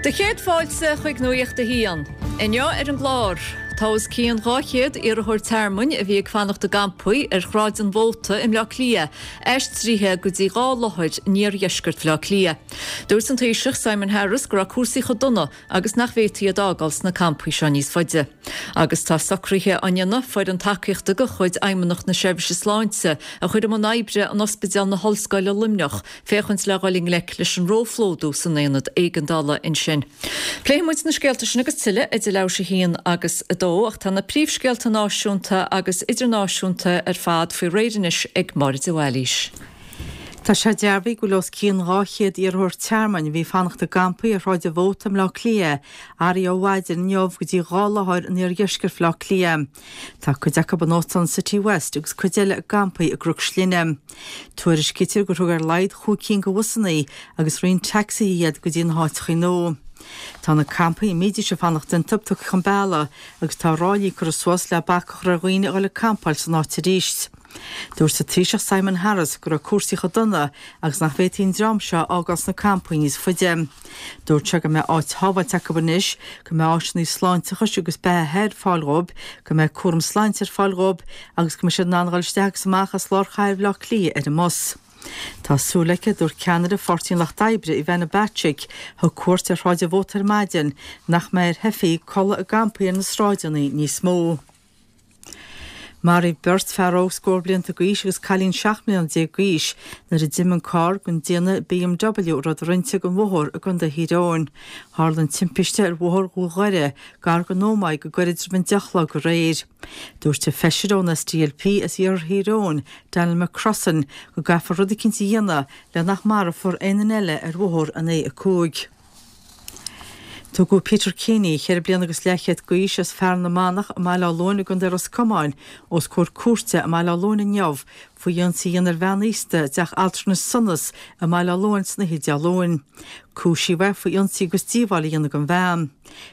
Do chéad fáilte chuig Nuacht a hAon. Inniu ar an gclár, tá os cionn 200 iarrthóir tearmainn a bhí ag fanacht i gcampaí ar Shráid an Mhóta i mBleá Cliath aistrithe go dtí 2 láthair in iardheisceart Bhaile Átha Cliath. Dúirt an Taoiseach Simon Harris go raibh cúrsaí chomh dona agus nach bhféadfaí iad a fhágáil sna campaí seo níos faide. Agus tá socruithe á ndéanamh foireann tacaíochta de chuid Fheidhmeannacht na Seirbhíse Sláinte a chur i mbun oibre in Ospidéal na hOllscoile Luimneach féachaint le dhul i ngleic leis an róphlódú san aonad éigeandála ansin. Pléifidh muid na scéalta sin agus tuilleadh idir leathuair tar éis a haon agus a dó ach tá na príomhscéalta náisiúnta agus idirnáisiúnta ar fad faoi réir anois ag Máire de Bhailís. Tá sé dearbhaithe go bhfuil os cionn 200 iarrthóir tearmainn a bhí ag fanacht i gcampaí ar Shráid an Mhóta i mBleá Cliath athraithe ó mhaidin inniu go dtí 2 láthair in iardheisceart Bhaile Átha Cliath. Tá cuid acu in Óstán Citywest agus cuid eile i gcampaí i gCnoc Slinne. Tuairiscítear gur thug ar a laghad chúig cinn de bhusanna agus roinnt tacsaithe iad go dtí na háiteacha nua. Tá na campaí a mbídís ag fanacht iontu tugtha chun bealaigh agus tá ráillí curtha suas le bac a chur ar dhaoine a dhul ag campáil san áit arís. Dúirt an Taoiseach Simon Harris go raibh cúrsaí chomh dona agus nach bhféadfaí an dream seo a fhágáil sna campaí níos faide. Dúirt sé go mbeidh áit shábháilte acu anois, go mbeidh áiseanna sláinteachais agus beathaithe ar fáil dhóibh, go mbeidh cúram sláinte ar fáil dhóibh agus go mbeidh siad in ann a dhul isteach agus amach as lár chathair Bhaile Átha Cliath ar an mbus. Tá súil aici, a dúirt ceannaire Pháirtí an Lucht Oibre, Ivana Bacik, a thug cuairt ar Shráid an Mhóta ar maidin, nach mbeidh ar theifigh codladh i gcampaí ar na sráideanna níos mó. Maraíodh beirt, fear óg scór blianta d'aois agus cailín 17 mbliana d'aois, nuair a d'imigh an carr den déanamh BMW a rabhadar inti den bhóthar i gContae Thír Eoghain. Tharla an timpiste ar Bhóthar Dhún Dhoire, gar don Ómaigh go gairid roimh an 10 a chlog aréir. Dúirt an feisire ón SDLP as iarthar Thír Eoghain, Daniel McCrossan, go gcaithfear rud eicínt a dhéanamh le nach marofar aon duine eile ar bhóthar an A5. Tugadh Peter Keaney, cheithre bliana agus leathchéad d'aois, as Fearann na Manach i mBaile Átha Luain i gContae Ros Comáin, os comhair cúirte i mBaile Átha Luain inniu faoi ionsaí a dhéanamh ar bhean aosta i dteach altranais Sonas i mBaile Átha Luain san oíche Dé Luain. Cúisíodh é faoi ionsaí agus díobháil a dhéanamh don bhean.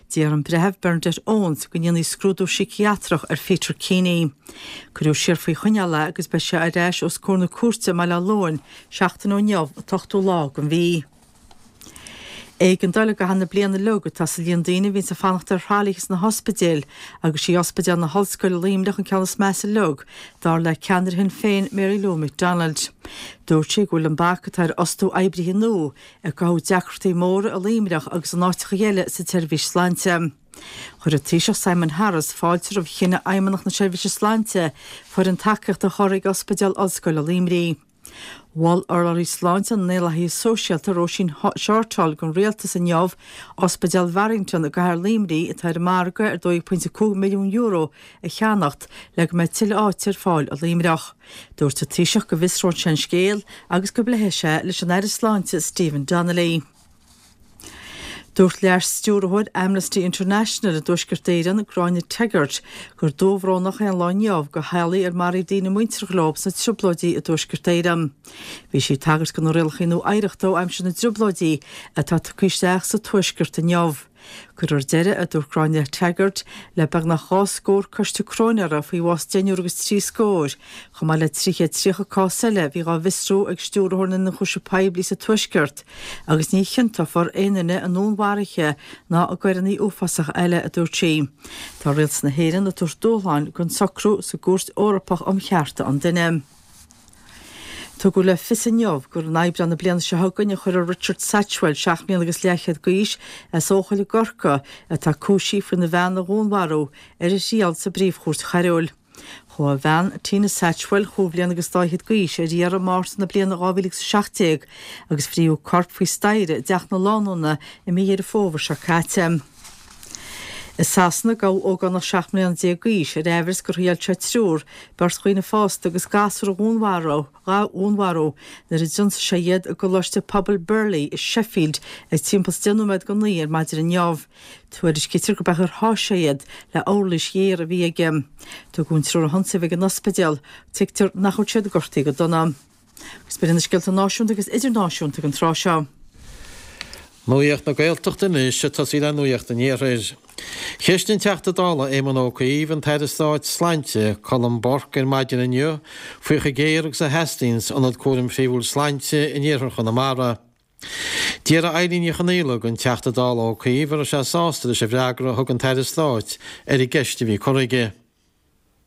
D'iarr an Breitheamh Bernadette Owens go ndéanfaí scrúdú síciatrach ar Pheter Keaney. Cuireadh siar faoi choinneáil é agus beidh sé ar ais os comhair na cúirte i mBaile Átha Luain seachtain ó inniu, an t-ochtú lá den mhí. Éigeandáil i gcaitheamh na bliana uilig atá sa líon daoine a bhíonns ag fanacht ar thralaithe sna hospidéil agus sí Ospidéal na hOllscoile Luimneach an ceann is measa uilig, dar le ceannaire Shinn Féin Mary Lou McDonald. Dúirt sí go bhfuil an bac atá ar fhostú oibrithe nua ag cothú deacrachtaí móra i Luimneach agus in áiteacha eile sa tseirbhís sláinte. Chuir an Taoiseach Simon Harris fáilte roimh chinneadh Fheidhmeannacht na Seirbhíse Sláinte foireann tacaíochta a chur ag Ospidéal Ollscoile Luimnigh. Mhol urlabhraí sláinte na nDaonlathaithe Sóisialta Róisín Shortall don Rialtas inniu Ospidéal Bharrington i gcathair Luimnigh atá ar an margadh ar €2.5 milliún a cheannacht le go mbeidh tuilleadh áite ar fáil i Luimneach. Dúirt an Taoiseach go bhfiosróidh sé an scéal agus go bpléifidh sé leis an Aire Sláinte Stephen Donnelly. Dúirt Leas-Stiúrthóir Amnesty International i dTuaisceart Éireann, Gráinne Teggart, gur dúbhrónach é an lá inniu do theaghlaigh ar maraíodh daoine muinteartha leo sna trioblóidí i dTuaisceart Éireann. Bhí sí ag tagairt do na rialacha nua oidhreachta ó aimsir na dtrioblóidí atá tugtha isteach sa Tuaisceart inniu. Cuirfear deireadh, a dúirt Gráinne Teggart, le beagnach 2 scór coiste cróinéara faoi bhás deichniúr agus trí scór, chomh maith le 330 cás eile a bhí dhá bhfiosrú ag Stiúrthóir na nIonchúiseamh Poiblí sa Tuaisceart, agus ní chiontófar aon duine i ndúnmharuithe ná i gcoireanna uafásacha eile, a dúirt sí. Tá Rialtas na hÉireann ag tabhairt dúshláin don socrú sa gCúirt Eorpach um Chearta an Duine. Tugadh le fios inniu gur in Aibreán na bliana seo chugainn a chuirfear Richard Satchwell, 7 mbliana agus leathchéad d'aois, as Eochaill i gCorcaigh, atá cúisithe faoina bhean a dhúnmharú, ar a thriail sa bPríomh-Chúirt Choiriúil. Chuaigh a bhean, Tina Satchwell, chúig bhliana agus dá fhichead d'aois, ar iarraidh i Márta na bliana 2017 agus frítheadh a corp faoi staighre i dteach na lánúna i mí Dheireadh Fómhair seo caite. I Sasana, gabhadh ógánach 17 mbliana d'aois ar aimhreas gur thriail sé triúr, beirt dhaoine fásta agus gasúr a dhúnmharú, nuair a d'ionsaigh sé iad i gColáiste Pobail Birley i Sheffield ag timpeall is 10 nóiméad go 9 ar maidin inniu. Tuairiscítear gurb é gur sháigh sé iad le uirlis ghéar a bhí aige. Tugadh an triúr a hionsaíodh ag an ospidéal. Tuigtear nach bhfuil siad gortaithe go dona. Agus b'in iad na scéalta náisiúnta agus idirnáisiúnta ag an tráth seo. Nuacht na Gaeltachta anois, ag tosaí le Nuacht an Iarthair. Cheistigh an Teachta Dála Éamon Ó Cuív an tAire Stáit Sláinte, Colm Burke ar maidin inniu faoi chomh géar agus a theastaíonns ionad cúraim phríomhúil sláinte in iarthar Chonamara. D'iarr Eilín Ní Chonaola den Teachta Dála Ó Cuív an raibh sé sásta leis an bhfreagra a thug an tAire Stáit ar an gceist a bhí curtha aige.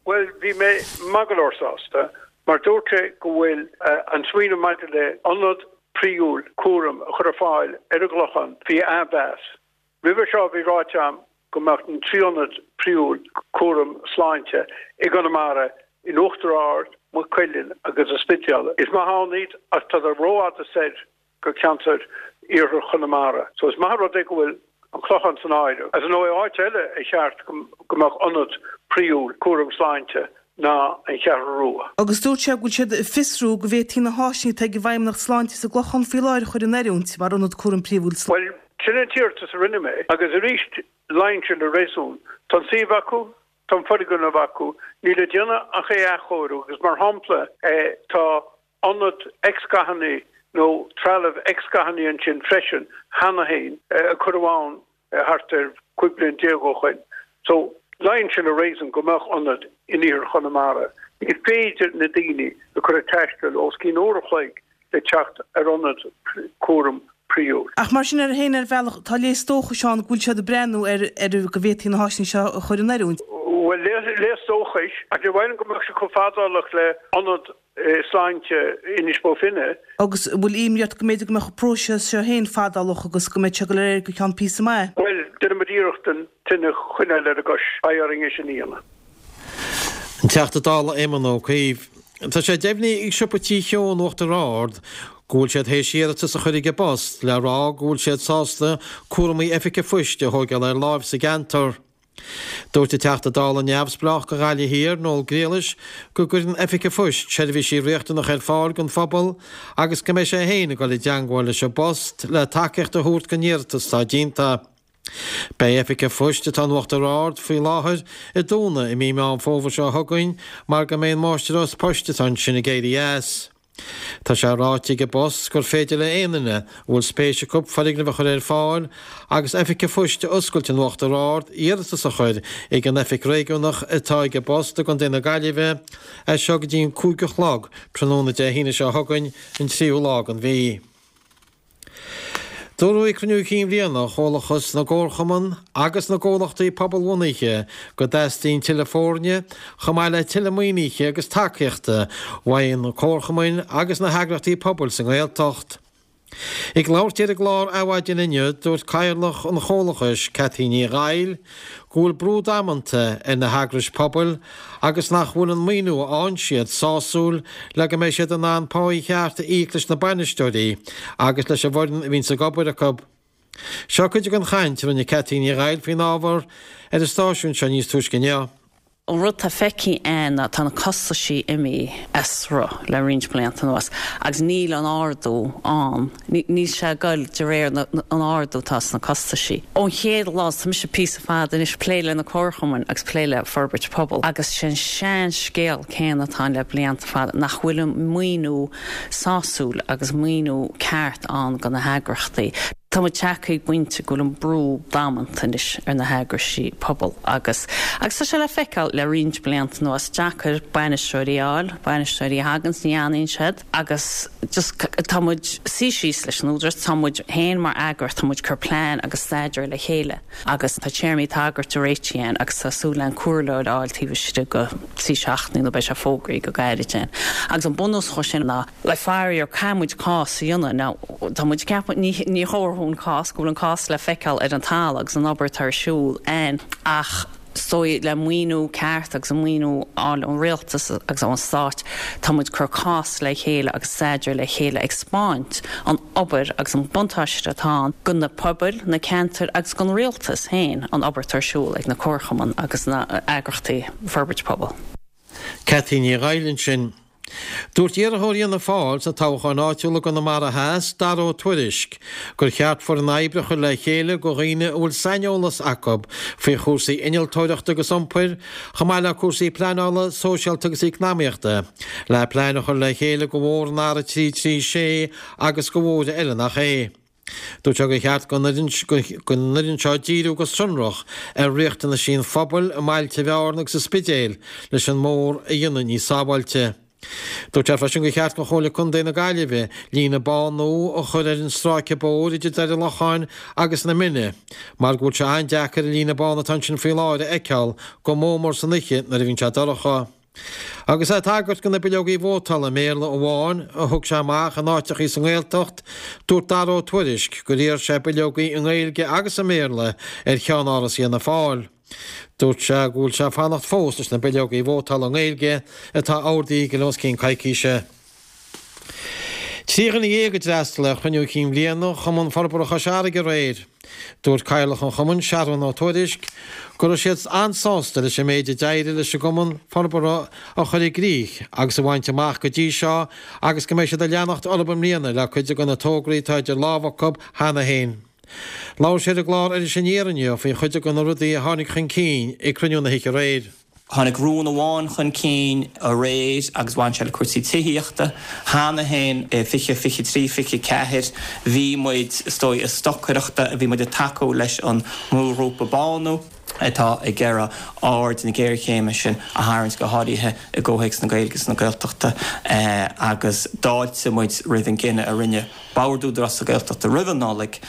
Bhuel, bhí mé maith go leor sásta, mar dúirt sé go bhfuil an smaoineamh maidir le ionad príomhúil cúraim a chur ar fáil ar an gClochán faoi athmheas. Roimhe seo bhí ráite agam go mbeadh na 3 ionad príomhúil cúram sláinte i gConamara in Uachtar Ard, Maigh Cuilinn agus an Spidéal. Is maith ann iad ach tádar rófhada soir go ceantar iarthar Chonamara. So is maith an rud é go bhfuil an Clochán san áireamh. Ar ndóigh áit eile ar cheart go mbeadh ionad príomhúil cúram sláinte ná an Cheathrú Rua. Agus dúirt sé go bhfuil siad ag fiosrú go bhféadfaí na háiseanna atá ag an bhFeidhmeannacht Sláinte sa gClochán faoi láthair a chur in oiriúint mar ionad cúraim príomhúil Bhuel, sin an t-iarratas a rinne mé agus arís luíonn sé le réasún. Tá an suíomh acu, tá an foirgneamh acu, níl le déanamh ach é a athchóiriú agus mar shampla tá ionad X-ghathanna nó trealamh X-ghathanna ansin freisin cheana féin a cuireadh ann thart ar 15 bliain ó shoin. So, luíonn sé le réasún go mbeadh ionad in iarthar Chonamara. Ní féidir na daoine a chur ag taisteal os cionn uair a chloig le teacht ar ionad cúraim príomhúil. Ach mar sin air féin, ar bhealach, tá léas dóchais ann go bhfuil siad ag breathnú ar ar go bhféadfaí na háiseanna seo a chur in oiriúint. Bhuel, léas dóchais, ach ní mhaith liom go mbeadh sé chomh fadálach le ionad sláinte Inis Bó Finne. Agus an bhfuil imní ort go mb'fhéidir go mbeadh an próiseas seo féin fadálach agus go mbeidh sé ag dul ar aghaidh go ceann píosa maith? Bhuel, déanfaidh muid iarracht an tine a choinneáil ar an gcois. Beidh orainn é sin a dhéanamh. An Teachta Dála Éamon Ó Cuív. Tá sé deimhnithe ag Siopa Tí Cheo in Uachtar Ard go bhfuil siad théis iarratas a chur ag an bPost le rá go bhfuil siad sásta cúramaí oifige phoist a thóigeáil ar láimh sa gceantar. Dúirt an Teachta Dála neamhspleách do Ghaillimh Thiar, Noel Grealish, go gcuireann Oifig an Phoist seirbhísí riachtanacha ar fáil don phobal agus go mbeidh sé féin ag dul i dteangmháil leis an bPost le tacaíocht a thabhairt don iarratas atá déanta. Beidh Oifig an Phoist atá in Uachtar Ard faoi láthair ag dúnadh i mí Meán Fómhair seo chugainn mar go mbeidh an mháistreás poist atá ansin ag éirí as. Tá sé ráite ag an bPost gur féidir le aon duine a bhfuil spéis acu foirgneamh a chur ar fáil agus oifig an phoist a oscailt in Uachtar Ard iarratas a chur ag an oifig réigiúnach atá ag an bPost i gContae na Gaillimhe as seo go dtí an 5 a chlog tráthnóna Dé hAoine seo chugainn, an tríú lá den mhí. Dúradh ag cruinniú cinn bhliana Chomhlachas na gComharchumann agus na gComhlachtaí Pobalbhunaithe go dteastaíonn tuilleadh foirne, chomh maith le tuilleadh maoinithe agus tacaíochta uaidh na comharchumainn agus na heagraíochtaí pobail sa nGaeltacht. Ag labhairt di ar an gclár Adhmhaidin inniu, dúirt Cathaoirleach an Chomhlachais, Cathy Ní Dhaill, go bhfuil brú damanta ar na heagrais pobail agus nach bhfuil an maoiniú a fhaigheann siad sásúil le go mbeidh siad in ann páí cheart a íoc leis na bainisteoirí agus leis an bhfoireann a bhíonns ag obair acu. Seo cuid den chaint a rinne Cathy Ní Dhaill faoin ábhar ar an stáisiún seo níos túisce inniu. An rud tá feicthe againn ná tá na costaisí imithe as rith le roinnt blianta anuas agus níl an ardú ann, níl sé ag goil de réir an ardú atá sna costaisí. Ón chéad lá, tá mise píosa fada anois ag plé le na comharchumainn agus plé le forbairt pobail agus sé an sean-scéal céanna atá ann le blianta fada, nach bhfuil an maoiniú sásúil agus maoiniú ceart ann do na heagrachtaí. Tá muid tagtha ag pointe go bhfuil an brú damanta anois ar na heagraisí pobail agus agus tá sé le feiceáil le roinnt blianta anuas, deacair bainisteoirí a fháil, bainisteoirí a thaganns ní fhanann siad agus just tá muid suí síos leis an Údarás, tá muid féin mar eagraíocht, tá muid ag cur plean agus staidéar le chéile agus tá téarmaí tagartha réitithe againn agus tá súil againn comhairleoir a fháil taobh istigh de thrí seachtainí nó beidh sé fógraithe go gairid againn agus an bunús dhó sin ná Le faraor, caithfidh muid cás a dhéanamh. Now, tá muid ag ceapadh, ní, ní thabharfadh an cás, go bhfuil an cás le feiceáil ar an talamh agus an obair atá ar siúl ann ach is dóigh le maoiniú ceart agus an maoiniú a fháil ón rialtas agus ón stát, tá muid ag cur cás le chéile agus staidéar le chéile ag 'spáint an obair agus an buntáiste atá ann do na pobail, na ceantair agus don rialtas féin an obair atá ar siúl ag na comharchumainn agus na eagrachtaí forbairt pobail. Cathy Ní Dhaill ansin. Dúirt iarrthóir Fhianna Fáil sna toghcháin áitiúla i gConamara Theas, Dara Ó Tuairisg, gur cheart foireann oibre a chur le chéile de dhaoine a bhfuil saineolas acu faoi chúrsaí innealtóireachta agus iompair, chomh maith le cúrsaí pleanála, sóisialta agus eacnamaíochta, le plean a chur le chéile do bhóthar an R336 agus do bhóithre eile nach é. Dúirt sé gur cheart don fhoireann seo díriú go sonrach ar riachtanaisí an phobail i mbailte Bhearna agus an Spidéil leis an mbóthar a dhéanamh níos sábháilte. Dúirt sé freisin gur cheart do Chomhairle Contae na Gaillimhe líne bán nua a chur ar an stráice bóthair idir Doire Locháin agus na Mine mar go bhfuil sé an-deacair an líne bán atá ansin faoi láthair a fheiceáil go mór mór san oíche nuair a bhíonn sé dorcha. Agus é ag tagairt do na bileogaí vótála i mBéarla amháin a thug sé amach in áiteachaí sa nGaeltacht, dúirt Dara Ó Tuairisg gur iarr sé bileogaí i nGaeilge agus i mBéarla ar cheann-áras Fhianna Fáil. Dúirt sé go bhfuil sé ag fanacht fós leis na bileogaí vótála i nGaeilge atá ordaithe aige le os cionn coicíse. 13 dhuine a d'fhreastail ar chruinniú cinn bhliana Chumann Forbartha Chois Fharraige aréir. Dúirt Cathaoirleach an chumainn, Seathrún Ó Tuairisg, go raibh siad an-sásta leis an méid a d'éirigh leis an gcumann forbartha a chur i gcrích agus a bhaint amach go dtí seo agus go mbeidh siad ag leanacht orthu i mbliana le cuid de na tograí atá idir lámha acu cheana féin. Labhair sé ar an gclár Iris Aniar inniu faoi chuid de na rudaí a tháinig chun cinn ag cruinniú na hoíche aréir. Tháinig rún amháin chun cinn aréir agus bhain sé le cúrsaí tithíochta. Cheana féin i 2023, 24 bhí muid, is dóigh, ag stocaireachta, bhí muid ag tacú leis an mbrúghrúpa Bánú atá ag iarraidh aird na géarchéime sin a tharraingt, go háirithe i gcomhthéacs na Gaeilge is na Gaeltachta agus d'fháiltigh muid roimh an gcinneadh a rinne Bord Údarás na Gaeltachta roimh an Nollaig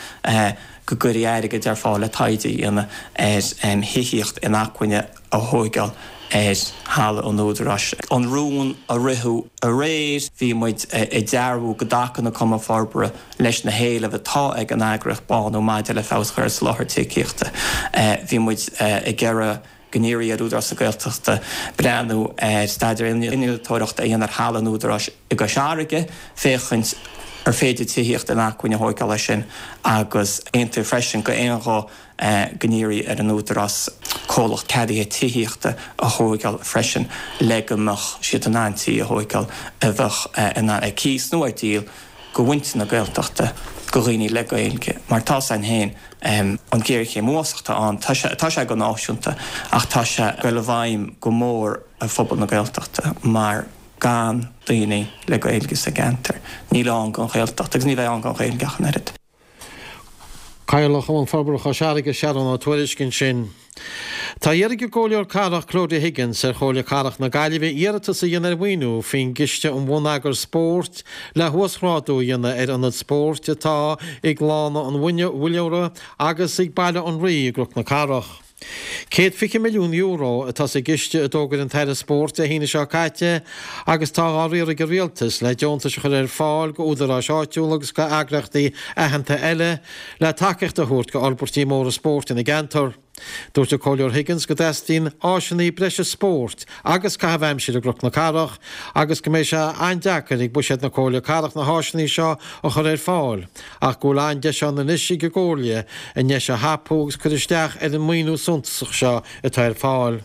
go gcuirfí airgead ar fáil le taighde a dhéanamh ar thithíocht inacmhainne a thóigeáil ar thalamh an Údaráis. An rún a ritheadh aréir, bhí muid ag dearbhú go dtacann an Cumann Forbartha leis na héilimh atá ag an eagraíocht Bánú maidir le feabhas a chur ar soláthar tithíochta. Bhí muid ag iarraidh go n-iarrfaí ar Údarás na Gaeltachta breathnú ar staidéar innealtóireachta a dhéanamh ar thalamh an Údaráis i gCois Fharraige, féachaint ar féidir tithíocht inacmhainne a thóigeáil air sin agus aontaíodh freisin d'aon ghuth go n-iarrfaí ar an Údarás comhlacht ceadaithe tithíochta a thóigeáil freisin le go mbeadh siad in ann tithe a thóigeáil a bheadh in ann ar cíos nó ar díol go mhuintir na Gaeltachta, go dhaoine le Gaeilge. Mar tá 's againn féin, an ghéarchéim uafásach atá ann, tá sé, tá sé go náisiúnta ach tá sé ag dul i bhfeidhm go mór ar phobal na Gaeltachta mar gan daoine le Gaeilge sa gceantar, níl ann don Ghaeltacht agus ní bheidh ann don Ghaeilge ach an oiread. Cathaoirleach Chumann Forbartha Chois Fharraige, Seathrún Ó Tuairisg ansin. Tá iarrtha ag an gComhairleoir Cathrach Claudia Higgins ar Chomhairle Cathrach na Gaillimhe iarratas a dhéanamh ar mhaoiniú faoin gCiste um Bhonneagar Spóirt le huasghrádú a dhéanamh ar ionaid spóirt atá ag Lána an Mhuilleora agus ag Baile an Rí i gCnoc na Cathrach. €120 milliún atá sa gciste a d'fhógair an tAire Spóirt Dé hAoine seo caite agus tá á riar ag an Rialtas le deontais a chur ar fáil go údaráis áitiúla agus go eagraíochtaí aitheanta eile le tacaíocht a thabhairt go fhorbairtí móra spóirt ina gceantar. Dúirt an Comhairleoir Higgins go dteastaíonn áiseanna breise spóirt agus caitheamh aimsire i gCnoc na Cathrach agus go mbeidh sé an-deacair ag buiséad na Comhairle Cathrach na háiseanna seo a chur ar fáil. ach go bhfuil an-deis ann anois ag an gComhairle an deis a thapú agus cur isteach ar an maoiniú suntasach seo atá ar fáil.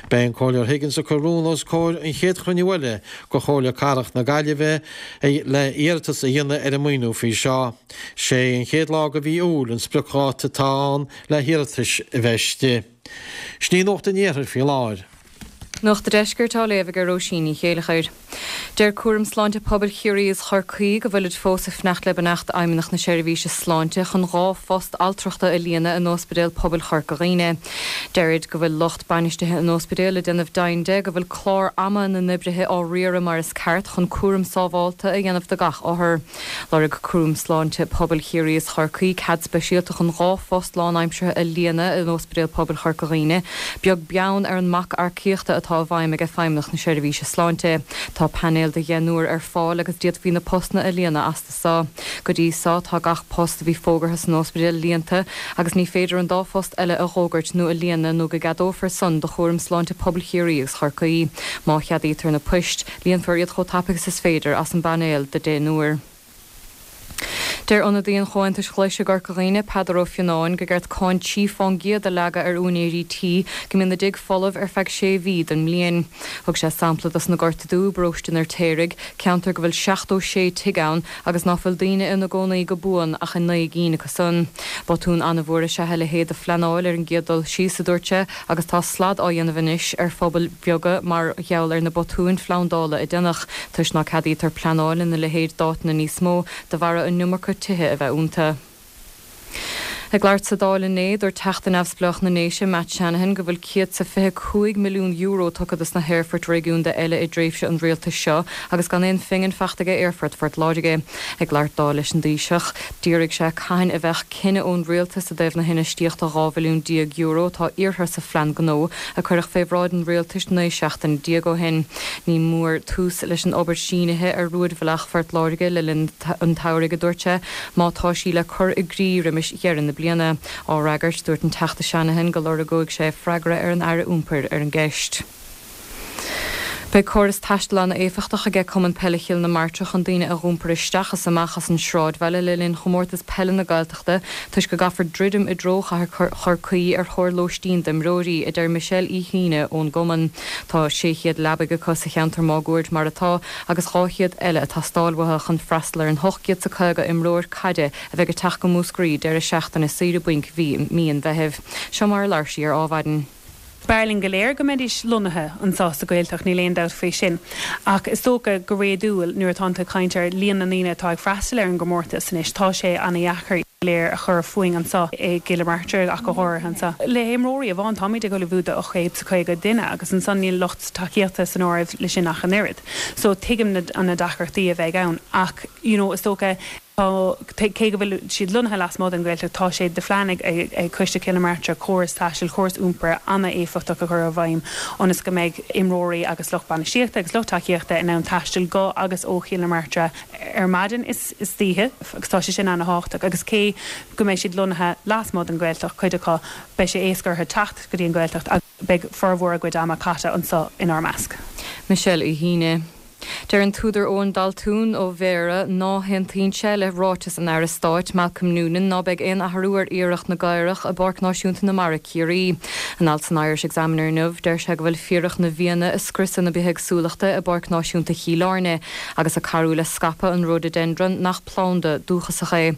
Beidh an Comhairleoir Higgins ag cur rún os comhair an chéad chruinniú eile de Chomhairle Cathrach na Gaillimhe le iarratas a dhéanamh ar an maoiniú faoi seo. Sé an chéad lá de mhí Iúil an spriocdháta atá ann le hiarratais a bheith istigh. Sin í Nuacht an Iarthair faoi láthair. Nuacht an Deiscirt á léamh ag Róisín Ní Chéileachair. Deir Cúram Sláinte Pobail Chiarraí is Chorcaí go bhfuilid fós ag fanacht le beannacht Fheidhmeannacht na Seirbhíse Sláinte chun 2 phost altrachta a líonadh in Ospidéal Pobail Chorca Dhuibhne. Deirid go bhfuil lucht bainistithe an ospidéil ag déanamh deimhin de go bhfuil clár ama na n-oibrithe á riaradh mar is ceart chun cúram sábhálta a dhéanamh do gach othar. Lorg Cúram Sláinte Pobail Chiarraí is Chorcaí cead speisialta chun 2 phost lánaimseartha a líonadh in Ospidéal Pobail Chorca Dhuibhne, beag beann ar an mbac earcaíochta atá i bhfeidhm ag Feidhmeannacht na Seirbhíse Sláinte. Tá painéal de dheichniúr ar fáil agus d'fhéadfaí na postanna a líonadh astu so. Go dtí so, tá gach post a bhí fógartha san ospidéal líonta agus ní féidir an dá phost eile a dh'fhógairt nó a líonadh nó go gceadófar san do Chúram Sláinte Pobail Chiarraí agus Chorcaí. Má cheadaítear na poist, Líonfar iad chomh tapaidh is is féidir as an bpainéal de deichniúr. Deir ionadaí an Chomhaontais Ghlais i gCorca Dhuibhne, Peadar Ó Fionnáin, go gceart cáin tí fán gcéad a leagadh ar úinéirí tí go mbíonn a dtigh folamh ar feadh sé mhí den mbliain. Thug sé sampla dos na Gorta Dubha i bparóiste an Fheirtéaraigh, ceantar go bhfuil 76 tigh ann agus ná fuil daoine ina gcónaí go buan ach i 9 gcinn acu san. Botún an-mhór is ea a leithéid de phleanáil ar an gcéad dul síos, a dúirt sé, agus tá slad á dhéanamh anois ar phobail bheaga mar gheall ar na botúin phlandála a déanadh, toisc ná ceadaítear pleanáil ina leithéid d'áiteanna níos mó de bharra an iomarca tithe a bheith iontu. Ag labhairt sa Dáil inné, dúirt Teachta Neamhspleách na nDéise, Matt Shanahan, go bhfuil €125 milliún tugtha dos na haerfoirt réigiúnda eile i dtréimhse an rialtais seo agus gan aon phingin fachta aige Aerfort Phort Láirge. Ag labhairt dó leis an Taoiseach, d'fhiafraigh sé cathain a bheadh cinneadh ón rialtas i dtaobh na hinfheistíochta €12 bhilliún atá iarrtha sa phlean gnó a cuireadh fé bhráid an rialtais 19 seachtaine ó shin. Ní mór tús leis an obair sínithe ar rúidbhealach Phort Láirge le linn an tsamhraidh, a dúirt sé. má tá sí le cur i gcrích roimis dheireadh na bliana. Á fhreagairt, dúirt an Teachta Shanahan go lorgóidh sé freagra ar an Aire Iompair ar an gceist. Beidh córas taistil an-éifeachtach aige Cumann Peile Chill na Martra chun daoine a dh'iompar isteach is amach as an sráidbhaile le linn Chomórtas Peile na Gaeltachta toisc go gcaithfear druidim i dtreo chathair Chorcaí ar thóir lóistín d'imreoirí, a deir Michelle Uí hAoine ón gcumann. Tá 600 leabaidh acu sa cheantar máguaird mar atá agus 200 eile ag teastáil uathu chun freastal ar an 850 imreoir caide a bheidh ag teacht go Múscraí deireadh seachtaine saoire bainc mhí mí an Mheithimh. Seo mar a labhair sí ar Ádhmhaidin. B'fhearr linn go léir go mbeidís lonnaithe anseo sa Ghaeltacht, níl aon dabht faoi sin. Ach is dócha go réadúil, nuair atánn tú ag caint ar líon na ndaoine atá ag freastal ar an gcomórtas anois, tá sé ana-dheacair go léir a chur fúinn anseo i gCill na Martra ach go háirithe anseo. Le himreoirí amháin, táimid ag ullmhú do 850 duine agus ansan níl lucht tacaíochta san áireamh le sin ach an oiread. So tuigim na na deacrachtaí a bheidh ann ach you know is dócha tá cé go bhfuil siad lonnaithe lasmuigh den Ghaeltacht tá sé de phlean ag ag Coiste Chill na Martra córas taistil, córas iompair ana-éifeachtach a chur i bhfeidhm ionas go mbeidh imreoirí agus lucht bainistíochta agus lucht tacaíochta in ann taisteal go agus ó Chill na Martra ar maidin is istoíche agus tá sé sin ana-thábhachtach agus cé go mbeidh siad lonnaithe lasmuigh den Ghaeltacht, cuid acu, beidh sé éasca orthu teacht go dtí an Ghaeltacht agus. Beidh formhór a gcuid ama caite anseo inár measc. Michelle Uí hAoine. Deir an t-údar Eoin Daltún ó Bhéarra ná haontaíonn sé le ráiteas an Aire Stáit Malcolm Noonan ná beidh aon athrú ar fhiaracht na gcaorach i bPáirc Náisiúnta na Mara, Ciarraí. In alt san Irish Examiner inniu deir sé go bhfuil fiaracht na bhfianna ag scriosadh na bithéagsúlachta i bPáirc Náisiúnta Chill Airne agus ag cabhrú le scaipeadh an rhododendron nach planda dúchasach é.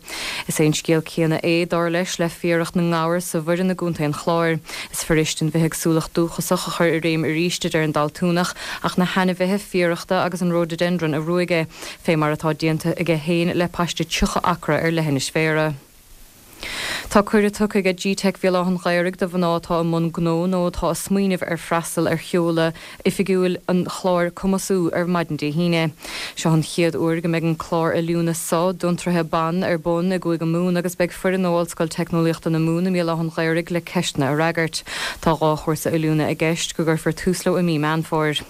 Is é an scéal céanna é, dar leis, le fiaracht na ngabhar sa Bhoireann i gContae an Chláir. Is fuirist an bhithéagsúlacht dúchasach a chur i réim arís, a deir an Daltúnach, ach na hainmhithe fiarachta agus an rhododendron a ruaigeadh, fé mar atá déanta aige féin le paiste 30 acra ar leithinis Bhéarra. Tá cuireadh tugtha aige GTeic Bhéal Átha'n Ghaorthaidh do mhná atá i mbun gnó nó atá ag smaoineamh ar freastal ar sheoladh oifigiúil an chláir Cumasú ar maidin Dé hAoine. Seo an chéad uair go mbeidh an clár oiliúna so d'fhiontraithe ban ar bun i gCúige Mumhan agus beidh foireann ó Ollscoil Teicneolaíochta na Mumhan i mBéal Átha'n Ghaorthaidh le ceisteanna a fhreagairt. Tá 2 chúrsa oiliúna i gceist go gcuirfear tús leo i mí Meán Fómhair.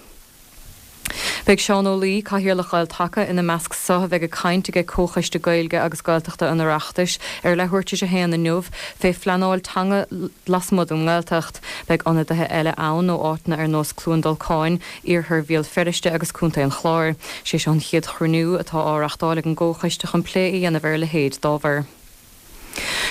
Beidh Seán Ó Laoi, Cathaoirleach Ghael Taca, ina measc so a bheidh ag caint aige Comhchoiste Gaeilge agus Gaeltachta an Oireachtais ar leathuair tar éis a haon inniu fé phleanáil teanga lasmuigh den nGaeltacht. Beidh ionadaithe eile ann ó áiteanna ar nós Cluain Dolcáin, Iarthar Bhéal Feirste agus Contae an Chláir. Sé seo an chéad chruinniú atá á reachtáil ag an gComhchoiste chun plé a dhéanamh ar a leithéid d'ábhar.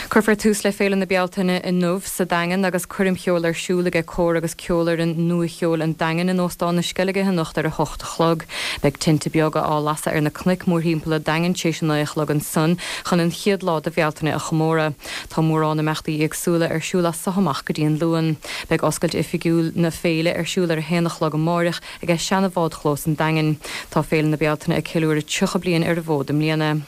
Cuirfear tús le Féile na Bealtaine inniu sa Daingean agus coirm cheoil ar siúl aige Cór agus Ceolfhoireann Nua-Cheoil an Daingin in Óstán na Sceilge anocht ar 8 a chlog. Beidh tinte beaga á lasadh ar na cnoic mórthimpeall an Daingin tar éis a 9 a chlog ansan chun an chéad lá de Bhealtaine a chomóradh. Tá mórán imeachtaí éagsúla ar siúl as so amach go dtí an Luan. Beidh oscailt oifigiúil na féile ar siúl ar a haon a chlog amáireach aige seana-bhádchlós an Daingin. Tá Féile na Bealtaine ag ceiliúradh 30 bliain ar an bhfód i mbliana.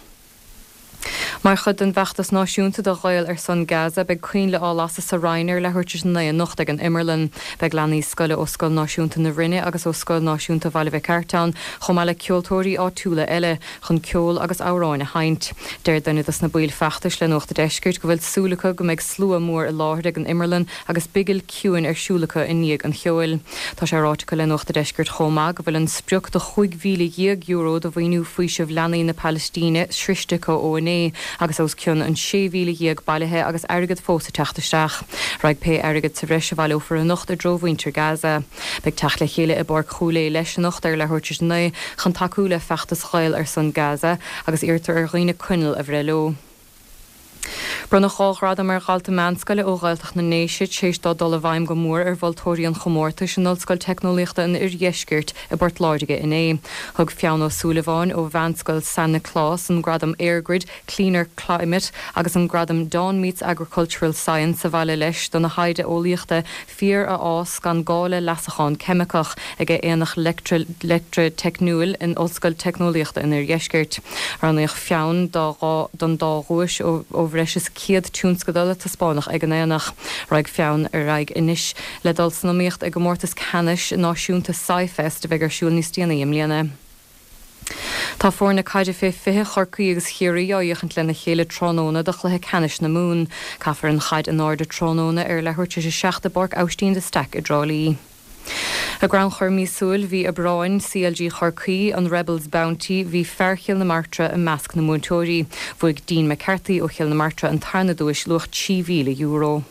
Mar chuid den bhfeachtas náisiúnta do Ghaeil ar son Gaza, beidh coinnle á lasadh sa Rinn ar leathuair tar éis a 9 anocht ag an Imearlann. Beidh leanaí scoile ó Scoil Náisiúnta na Rinne agus ó Scoil Náisiúnta Bhaile Mhic Airt ann, chomh maith le ceoltóirí áitiúla eile, chun ceol agus amhráin a sheinnt. Deir duine dos na baill feachtais le Nuacht a' Deiscirt go bhfuil súil acu go mbeidh slua mór i láthair ag an Imearlann agus bigil ciúin ar siúl acu i ndiaidh an cheoil. Tá sé ráite acu le Nuacht a' Deiscirt chomh maith go bhfuil an sprioc de €15,000 do mhaoiniú faoiseamh leanaí na Palaistíne sroiste acu ó inné agus os cionn an 16,000 bailithe agus airgead fós ag teacht isteach. Raghaidh pé airgead sa bhreis a bhaileofar anocht i dtreo mhuintir Gaza. Beidh teacht le chéile i bPáirc Chúil Aodha leis anocht ar leathuair tar éis a 9 chun tacú le feachtas Ghaeil ar son Gaza agus iarrtar ar dhaoine coinneal a bhreith leo. Bronnadh 2 ghradam ar dhalta meánscoile ó Ghaeltacht na nDéise tar éis dó dul i bhfeidhm go mór ar mholtóirí an chomórtais in Ollscoil Teicneolaíochta an Oirdheiscirt i bPort Láirge inné. Thug Fionn Ó Súilleabháin ó Mheánscoil San Nioclás an gradam EirGrid Cleaner Climate agus an gradam Dawn Meets Agricultural Science abhaile leis dona thaighde eolaíochta Féar a fhás gan gá le leasachán ceimiceach ag Aonach Leictrea-Teicniúil in Ollscoil Teicneolaíochta an Oirdheiscirt. Roghnaíodh Fionn don dá dhuais ó bhreis is. 100 tionscadal a taispeánadh ag an aonach. Raghaidh Fonn ar aghaidh anois le dul san iomaíocht i gcomórtas ceannais náisiúnta SciFest a bheidh ar siúl níos déanaí i mbliana. Tá foirne caide fé 20 Chorcaí agus Chiarraí á fhéachaint lena chéile tráthnóna do chluiche ceannais na Mumhan. Caithfear an chaid in airde tráthnóna ar leathuair tar éis a 7 i bPáirc Aibhistín de Staic i dTrá Lí. I gcrannchur míosúil mhí Aibreáin CLG Chorcaí, an Rebels Bounty, bhí fear Chill na Martra i measc na mbuaiteoirí. Bhuaigh Dean McCarthy ó Chill na Martra an tarna duais, luach €3,000.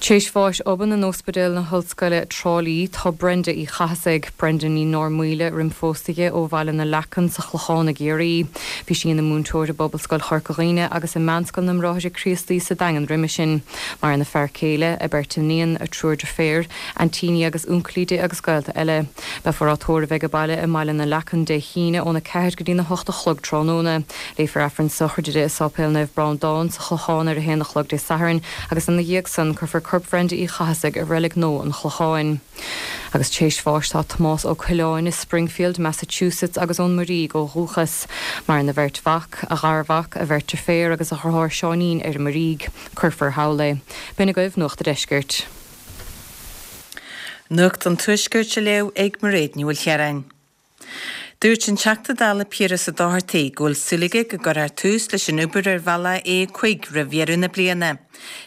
Tar éis bháis obann in Ospidéal na hOllscoile, Trá Lí, tá Brenda Uí Chathasaigh, Brenda Ní Normhaoile roim phósadh di, ó Bhaile na Leacan sa Chlochán i gCiarraí. Bhí sí ina múinteoir i bPobalscoil Chorca Dhuibhne agus i Meánscoil na mBráithre Críostaí sa Daingean roimhe sin. Maireann a fear céile, a beirt iníon, a triúr deirféar, aintíní agus uncailí di agus gaolta eile. Beifear á tórramh age baile i mBaile na Leacan Dé hAoine óna 4 go dtína 8 a chlog tráthnóna. Léifear Aifreann sochraide di i Sáipéal Naomh Breandán sa Chlochán ar a haon a chlog Dé Sathairn agus ina dhiaidh san cuirfear corp Bhrenda Uí Chathasaigh i Reilig Nua an Chlocháin. Agus tar éis bháis tá Tomás Ó Coileáin i Springfield, Massachusetts agus ón Muirígh ó dhúchas. Maireann a bheirt mhac, a gharmhac, a bheirt deirféar agus a dheartháir Seáinín ar an Muirígh. Cuirfear thall é. B'in agaibh Nuacht a' Deiscirt. Nuacht an Tuaiscirt á léamh ag Mairéad Ní Mhaoilchiaráin. Dúirt an Teachta Dála Piaras Ó Dochartaigh go bhfuil súil aige go gcuirfear tús leis an obair ar bhealach A5 roimh dheireadh na bliana.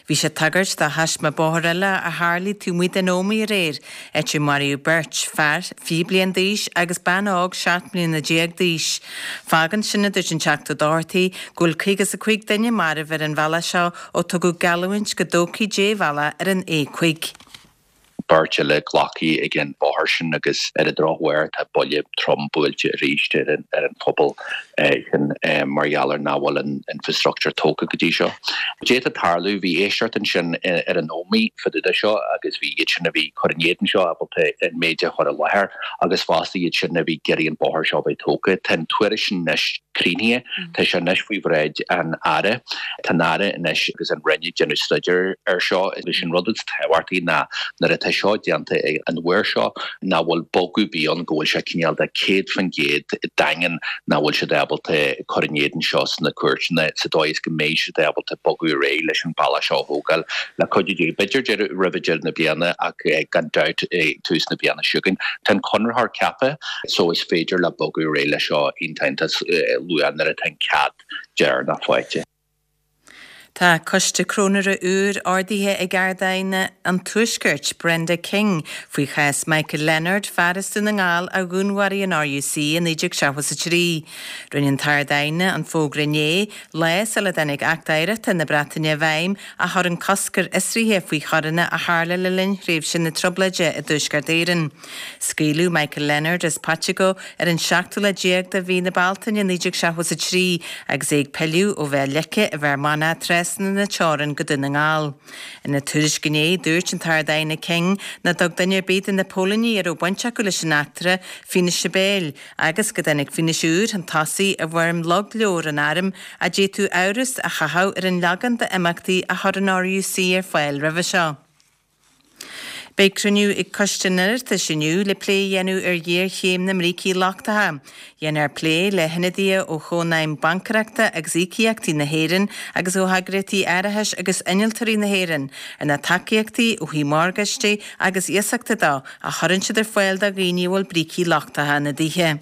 Bhí sé ag tagairt do thaisme bóthair eile a tharlaigh taobh amuigh den Ómaigh aréir, áit ar maraíodh beirt, fear 20 bliain d'aois agus bean óg 17 mbliana d'aois. Fágann sin, a dúirt an Teachta Ó Dochartaigh, go bhfuil 55 duine marbh ar an bhealach seo ó tugadh geallúint go dtógfaí débhealach ar an A5. beirt eile glactha ag an bhóthar sin agus ar an drochuair tá buille trom buailte arís ar an phobal sin mar gheall ar nach bhfuil an infrastructure tógtha go dtí seo. D'fhéadfadh tarlú, bhí éisteacht ansin ar an Ómaigh fá dtaobh de seo agus bhí iad sin a bhí ag cur in éadan seo ábalta an méid a chur i láthair agus fosta iad sin a bhí ag iarraidh an bóthar seo a bheith tógtha. Tá an tuairisc sin anois críochnaithe. Tá sé anois faoi bhráid an Aire. Tá an Aire anois agus an Roinn ag déanamh staidéir air seo. Is an rud is tábhachtaí ná nuair atá seo déanta an uair seo nach bhfuil bogadh ar bith ann, go bhfuil sé cineál de 100% daingean nach bhfuil siad ábalta cur in éadan seo sna cúirteanna sa dóigh is go mbeidh siad ábalta bogadh ar aghaidh leis an bealach seo a thógáil le cuidiú Dé. B'fhéidir roimh deireadh na bliana ach gan dabht ag tús na bliana seo chugainn. Tá an conraitheoir ceaptha so is féidir leo bogadh ar aghaidh leis seo iontach luath nuair atá an cead deireanach faighte. Tá Coiste Cróinéara úr ordaithe ag Ard-Aighne an Tuaiscirt, Brenda King, faoi chás Michael Leonard, fear as Dún na nGall a dhúnmharaigh an RUC i 1973. Rinne an tArd-Aighne an fógra inné, lá sula dtáinig Acht Oidhreachta na Breataine i bhfeidhm a chuireann cosc ar fhiosruithe faoi choireanna a tharla le linn thréimhse na Trioblóide i dTuaisceart Éireann. Scaoileadh Michael Leonard as Paiteagó ar an seachtú lá déag de mhí na Bealtaine 1973 agus é ag pilleadh ó Bhéal Leice i bhFear Manach trasna na teorann go Dún na nGall. Ina tuairisc inné, dúirt an tArd-Aighne King nach dtug duine ar bith de na póilíní a raibh baint acu leis an eachtra fianaise béil agus go dtáinig fianaise úr chun tosaigh i bhfoirm logleabhar an airm a d'fhéadfadh amhras a chaitheamh ar an leagan d'imeachtaí a chuir an RUC ar fáil roimhe seo. Beidh cruinniú ag Coiste an Oireachtais inniu le plé a dhéanamh ar ghéarchéim na mbrící lochtacha. Déanfar plé le hionadaithe ó Chónaidhm Baincaireachta agus Íocaíochtaí na hÉireann agus ó heagraíochtaí árachais agus innealtóirí na hÉireann ar na tacaíochtaí ó thaobh morgáistí agus iasachta de a chuireann siad ar fáil do dhaoine a bhfuil brící lochtacha ina dtithe.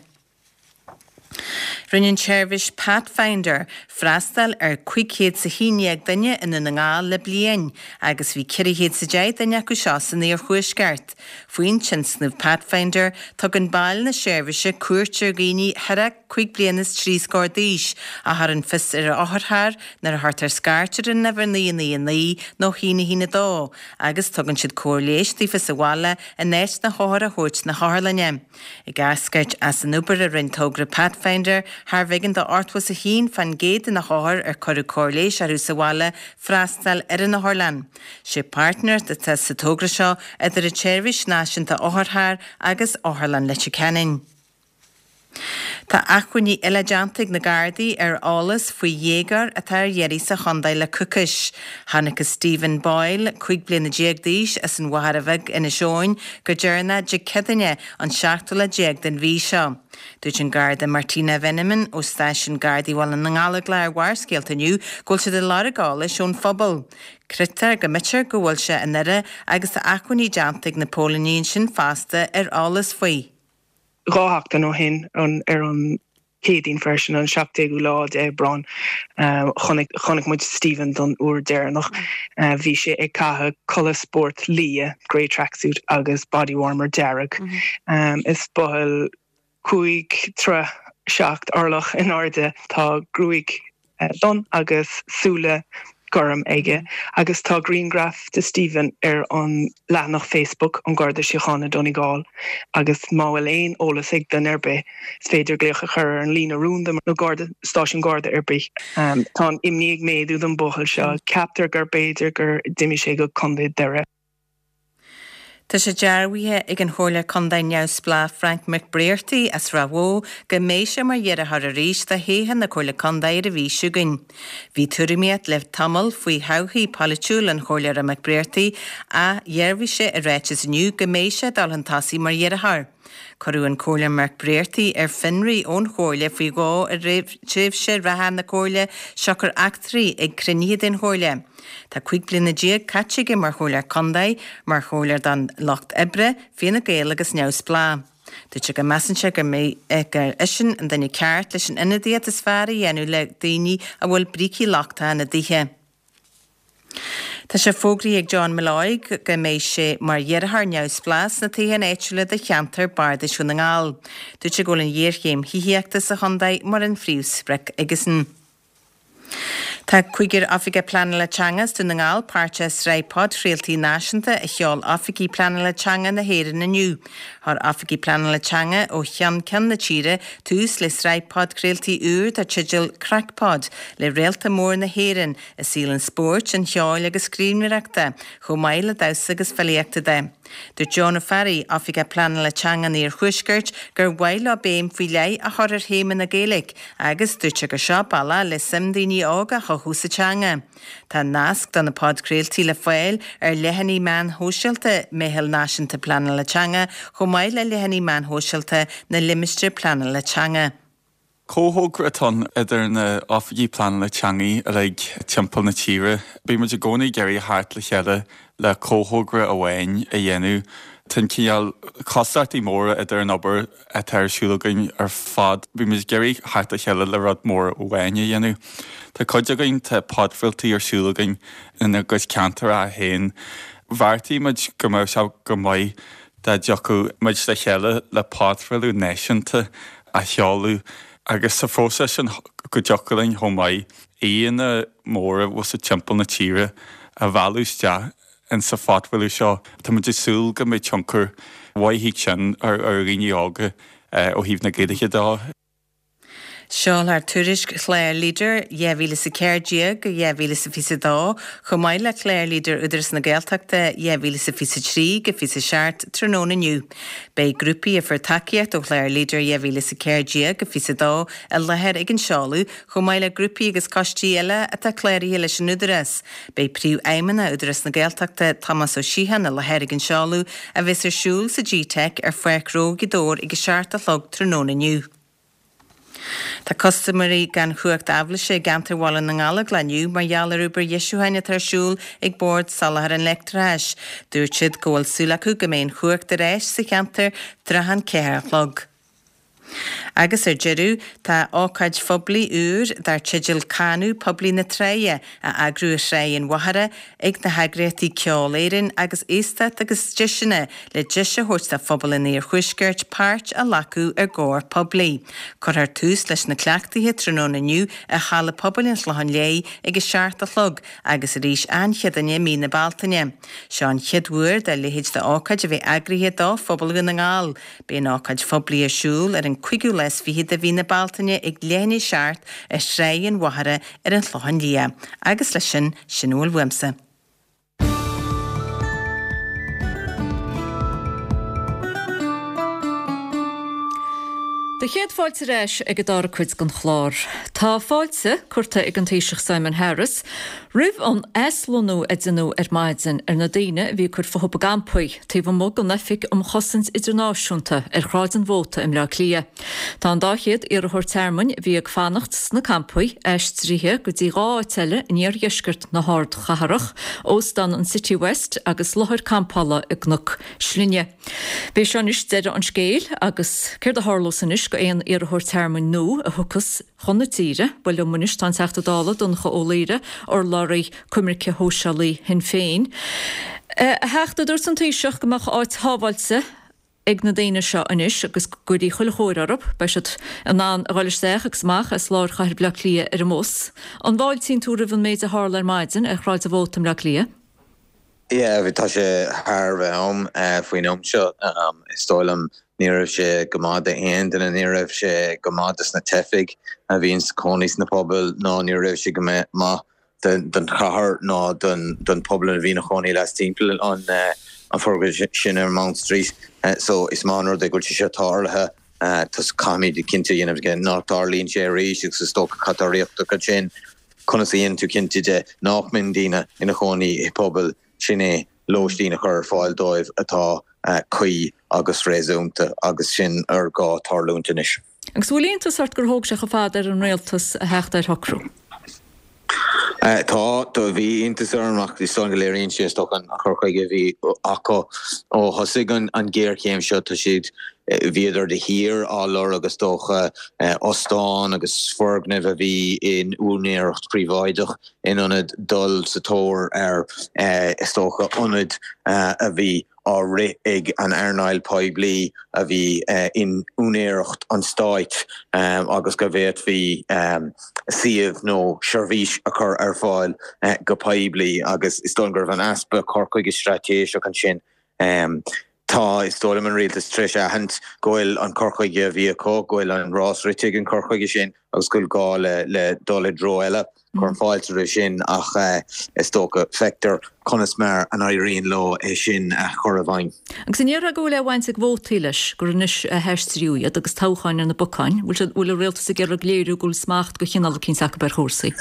Rinne an tseirbhís Pathfinder freastal ar 511 duine i nDún na nGall le bliain agus bhí 410 duine acu seo san iarthuaisceart. Faoin tionscnamh Pathfinder, tugann baill na seirbhíse cuairt ar dhaoine thar a cúig bliana is trí scór d'aois a chuireann fios ar otharcharr nuair a chuirtear scairt ar an uimhir 999 nó 1 1 2 agus tugann siad cóir leighis daofa sa bhaile in áit na hothair a thabhairt na hotharlainne. Ag eascairt as an obair a rinne togra Pathfinder, thar b'éigean do 81% de na hothair ar cuireadh cóir leighis orthu sa bhaile freastal ar an otharlann. Sé páirtnéireacht atá sa togra seo idir an tSeirbhís Náisiúnta Otharcharr agus Otharlann Leitir Ceanainn. Tá achainí eile déanta ag na Gardaí ar eolas faoi dhéagóir atá ar iarraidh sa chontae le coicís. Chonacthas Stephen Boyle, 15 bliana d'aois, as an Mhachaire Bheag, Inis Eoghain, go deireanach Dé Céadaoine, an seachtú lá déag den mhí seo. Dúirt an Garda Martina Veneman ó Stáisiún Gardaí Bhaile na nGallóglach ar Bharrscéalta inniu go bhfuil siad ag lorg eolais ón phobal. Creidtear go mb'fhéidir go bhfuil sé i nDoire agus tá achainí déanta ag na póilíní ansin fosta ar eolas faoi. 2 sheachtain ó shin, ar an Chéadaoin freisin, an 17ú lá d'Aibreán, chonaic chonaic muid Stephen don uair deireanach. Bhí sé ag caitheamh culaith spóirt liath, grey tracksuit, agus body warmer dearg. Is buachaill 5 troigh 7 orlach in airde. Tá gruaig donn agus súile gorm aige agus tá grianghraf de Stephen ar an leathanach Facebook An Garda Síochána Donegal agus má bhfuil aon eolas ag duine ar bith is féidir glaoch a chur ar an líne rúnda nó garda stáisiún garda ar bith. Tá an imní ag méadú don buachaill seo. Ceaptar gur b'fhéidir gur d'imigh sé go Contae Doire. Tá sé dearbhaithe ag an Chomhairleoir Contae neamhspleách Frank McBrearty as Ráth Bhoth go mbeidh sé mar iarrthóir arís do thoghchán na Comhairle Contae ar an mhí seo chugainn. Bhí tuairimíocht le tamall faoi thodhchaí pholaitiúil an Chomhairleora McBrearty ach dhearbhaigh sé i ráiteas inniu go mbeidh sé ag dul chun tosaigh mar iarrthóir. Cuireadh an Comhairleoir McBrearty ar fionraí ón Chomhairle faoi dhó i rith tréimhse reatha na Comhairle siocair eachtraí ag cruinnithe den Chomhairle. Tá 15 bliana caite aige mar Chomhairleoir Contae, mar Chomhairleoir don Lucht Oibre, Fianna Gael agus Neamhspleách. Dúirt sé go measann sé gur gur eisean an duine ceart leis an ionadaíocht is fearr a dhéanamh le daoine a bhfuil brící lochtacha ina dtithe. Tá sé fógraithe ag John Molloy go mbeidh sé mar iarrthóir neamhspleách sna toghcháin áitiúla do cheantar Bardais Dhún na nGall. Dúirt sé go bhfuil an ghéarchéim thithíochta sa chontae mar an phríomhsprioc aigesan. Tá cúigear Oifigeach Pleanála Teanga as Dún na nGall páirteach i sraith podchraoltaí náisiúnta a sheol Oifigigh Pleanála Teanga na hÉireann inniu. Chuir Oifigigh Pleanála Teanga ó cheann ceann na tíre tús le sraith podchraoltaí úr dar teideal CraicPod le réalta mór na hÉireann i saol an spóirt, an cheoil agus scríbhneoireachta, chomh maith le damhsa agus filíochta de. Dúirt John Ó Fearraigh, Oifigeach Pleanála Teanga an Iarthuaiscirt, gur mhaith leo béim faoi leith a chur ar théama na Gaeilge agus dúirt sé gur seo bealach le suim daoine óga a chothú sa teanga. Tá nasc do na podchraoltaí le fáil ar leathanaigh meán shóisialta Meitheal Náisiúnta Pleanála Teanga chomh maith le leathanaigh meán shóisialta na Limistéar Pleanála Teanga. Comhthogra atá ann idir na oifigigh pleanála teanga uilig timpeall na tíre. Bíonn muid i gcónaí ag iarraidh theacht le chéile le comhthogra amháin a dhéanamh. Tá an cineál cosúlachtaí móra idir an obair atá ar siúl againn ar fad. Bíonn muid ag iarraidh theacht le chéile le rud mór amháin a dhéanamh. Tá cuid againn, tá podchraoltaí ar siúl againn ina gcuid ceantracha féin. Bheartaigh muid go mbeadh sé go maith dá dtiocfadh muid le chéile le podchraoladh náisiúnta a sheoladh agus sa phróiseas sin go dtiocfadh linn chomh maith aíonna móra bhfuil timpeall na tíre a mhealladh isteach insa phodchraoladh seo. Tá muid ag súil go mbeidh tionchar mhaith ag sin ar dhaoine óga ó thaobh na Gaeilge de. Seolfar tuairisc chlár Leader 2014-2022, chomh maith le clár Leader Údarás na Gaeltachta 2023-27 tráthnóna inniu. Beidh grúpaí a fuair tacaíocht ó chlár Leader 2014-22 i láthair ag an seoladh, chomh maith le grúpaí agus coistí eile atá cláraithe leis an Údarás. Beidh Príomhfheidhmeannach Údarás na Gaeltachta, Tomás Ó Síocháin i láthair ag an seoladh, a bheas ar siúl sa G-Teic ar Pháirc Ghnó Ghaoth Dobhair ag a 7 a chlog tráthnóna inniu. Tá custaiméirí gan chumhacht aibhléise i gceantar Bhaile na nGallóglach inniu mar gheall ar obair dheisiúcháin atá ar siúl ag Bord Soláthair an Leictreachais. Dúirt siad go bhfuil súil acu go mbeidh an chumhacht ar ais sa cheantar tráth an 4 a chlog. Agus ar deireadh, tá ócáid phoiblí úr dar teideal Canadh Poiblí na Tráighe á eagrú ar Thráigh an Mhachaire ag na heagraíochtaí Ceol Éireann agus Aosdána agus Deiseanna le deis a thabhairt do phobal an Iarthuaiscirt páirt a ghlacadh i gcór poiblí. Cuirfear tús leis na cleachtaithe tráthnóna inniu i Halla Pobail an Chlocháin Léith ag a 7 a chlog agus arís an Chéadaoine i mí na Bealtaine. Seo an chéad uair dá leithéid d'ócáid a bheith eagraithe do phobal Dhún na nGall. Beidh an ócáid phoiblí ar siúl ar an cúigiú lá is fichead de mhí na Bealtaine ag leath i ndiaidh a 7 ar Thráigh an Mhachaire ar an Chlochán Liath. Agus leis sin, sin a bhfuil uaimse. Do chéad fáilte ar ais ag an dara cuid den chlár. Tá fáilte curtha ag an Taoiseach Simon Harris roimh an aslonnú a deineadh ar maidin ar na daoine a bhí ag cur futhu i gcampaí taobh amuigh den Oifig um Chosaint Idirnáisiúnta ar Shráid an Mhóta i mBleá Cliath. Tá an 200 iarrthóir tearmainn a bhí ag fanacht sna campaí aistrithe go dtí 2 áit eile in iardheisceart na hardchathrach, Óstán an Citywest agus láthair campála i gCnoc Slinne. B'é seo anois deireadh an scéil agus céard a tharlós anois go aon iarrthóir tearmainn nua a thiocfas chun na tíre? Bhuel liom anois tá an Teachta Dála, Donncha Ó Laoghaire, urlabhraí coimirce shóisialaí Shinn Féin. A Theachta, dúirt an Taoiseach go mbeadh áit shábháilte ag na daoine seo anois agus go gcuirfí chuile chóir orthu. Beidh siad in ann a dhul isteach agus amach as lár chathair Bhaile Átha Cliath ar an mbus. An bhfáiltíonn tú roimh an méid a tharla ar maidin ar Shráid an Mhóta i mBleá Cliath? Yeah, tá sé thar a bheith am faoin am seo. Is dóigh liom ní raibh sé go maith d'aon duine, ní raibh sé go maith dos na teifigh a bhíonn ina cónaí sna pobail ná ní raibh sé go maith don chathair ná don pobal a bhí ina chónaí lastimpeall an foirgneamh sin ar Mount Street. So is maith an rud é go bhfuil sé seo tarlaithe. Caithfimid cinnte a dhéanamh de nach dtarlaíonn sé arís agus is dócha cad tá riachtanach ansin Conas a dhéanann tú cinnte de nach mbíonn daoine ina chónaí i bpobail, sin é lóistín a chur ar fáil dóibh atá cuí agus réasúnta agus sin ar gá tarlúint anois. Agus bhfuil iontas ort gur thóg sé chomh fada ar an rialtas a theacht ar shocrú? Tá, do bhí iontas orm ach is dóigh go léiríonn sé is dócha an cur chuige a bhí acu ó thosaigh an ghéarchéim seo. Tá siad Bhíodar de shíor á lorg is dócha, ostán agus foirgnimh a bhí in úinéireacht phríobháideach in ionad dul sa tóir ar, is dócha, ionaid a bhí á rith ag an earnáil poiblí a bhí in úinéireacht an stáit agus go bhféadfaí suíomh nó seirbhís a chur ar fáil go poiblí agus is dóigh go raibh an easpa cur chuige straitéiseach ansin. Tá, is dóigh liom, an rialtas tar éis aithint go bhfuil an cur chuige a bhí acu, go bhfuil an rás rite ag an cur chuige sin agus go bhfuil gá le dul i dtreo eile. Cuirim fáilte roimh sin ach is dócha, feictear conas mar a n-éiríonn leo é sin a chur i bhfeidhm. Agus an ndéarfá go bhfuil aon bhaint ag vótaí leis, gur anois a haistríodh iad agus toghcháin ar na bacáin? Bhfuil an rialtas ag iarraidh léiriú go bhfuil smacht de chineál eicínt acu ar chúrsaí?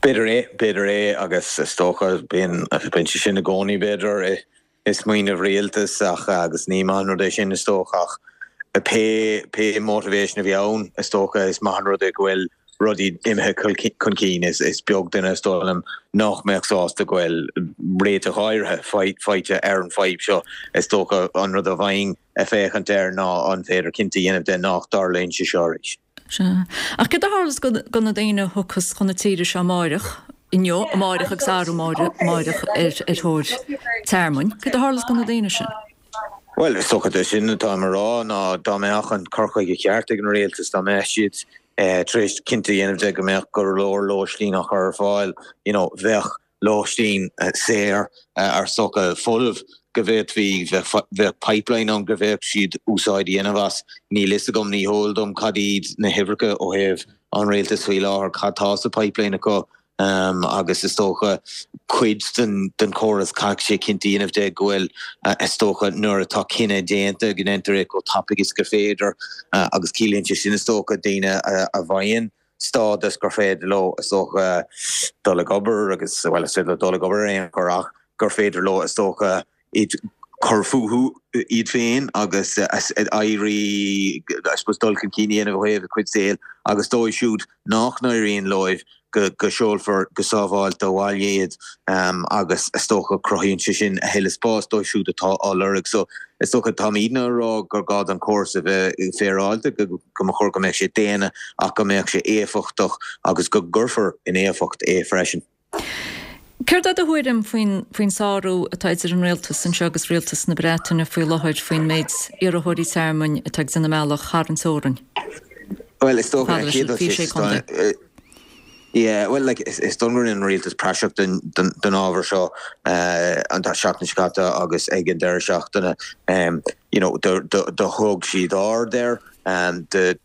B'fhéidir é, b'fhéidir é agus is dócha, bíonn sé sin i gcónaí b'fhéidir. i smaoineamh rialtais ach agus ní maith an rud é sin is dócha ach pé pé motivation a bhí ann is dócha is maith an rud é go bhfuil rudaí imithe chun cinn. Is is beag duine is dóigh liom nach mbeadh sásta go bhfuil réiteach áirithe faighte ar an fadhb seo. Is dócha an rud a bheinn ag féachaint air ná an féidir cinnte a dhéanamh de nach dtarlaíonn sé seo arís. Sea. Ach céard a tharlós do na daoine a thiocfas chun na tíre seo amáireach, inniu, amáireach agus arú amáireach ar thóir tearmainn? Céard a tharlós do na daoine sin? Bhuel, is dócha é sin atáim a rá ná dá mbeadh an cur chuige ceart ag an rialtas, dá mbeadh siad tar éis cinnte a dhéanamh de go mbeadh go leor lóistín á chur ar fáil, you know, bheadh lóistín saor ar is dócha folamh go bhféadfaí, bheadh pipeline ann go bhféadfadh siad úsáid a dhéanamh as. Níl fhios agam, ní heol dom cad iad na huimhreacha ó thaobh an rialtais faoi láthair, cad tá sa pipeline acu agus is dócha cuid den chóras caithfidh sé cinnte a dhéanamh de go bhfuil is dócha nuair atá cinneadh déanta go ndéantar é chomh tapaidh is gur féidir agus ciallaíonn sé sin is dócha daoine a bhfaigheann stádas gur féidir leo, is dócha, dul ag obair agus, bhuel, is féidir leo dul ag obair ar aon chor ach gur féidir leo, is dócha, iad cur fúthu iad féin agus éirí, I suppose, dul chun cinn a dhéanamh ó thaobh a cuid saoil agus dóibh siúd nach n-éiríonn leo go seolfar go sábháilte abhaile iad agus is dócha cruthaíonn sé sin a thuilleadh spáis dóibh siúd atá á lorg. So is dócha táimidne á rá gur gá don chóras a bheith féaráilte, go mba chóir go mbeadh sé daonna ach go mbeadh sé éifeachtach agus go gcuirfear in éifeacht é freisin. Céard é do thuairim faoin faoin sárú atá idir an rialtas anseo agus rialtas na Breataine faoi láthair faoin méid iarrthóirí tearmainn atá ag déanamh a mbealach thar an teorainn? Bhuel, is dócha ar an chéad dul síos, Yeah, well, like, is dóigh go rinne an rialtas praiseach den ábhar seo an tseachtain seo caite agus ag an deireadh seachtaine. You know, do thug siad aird air, do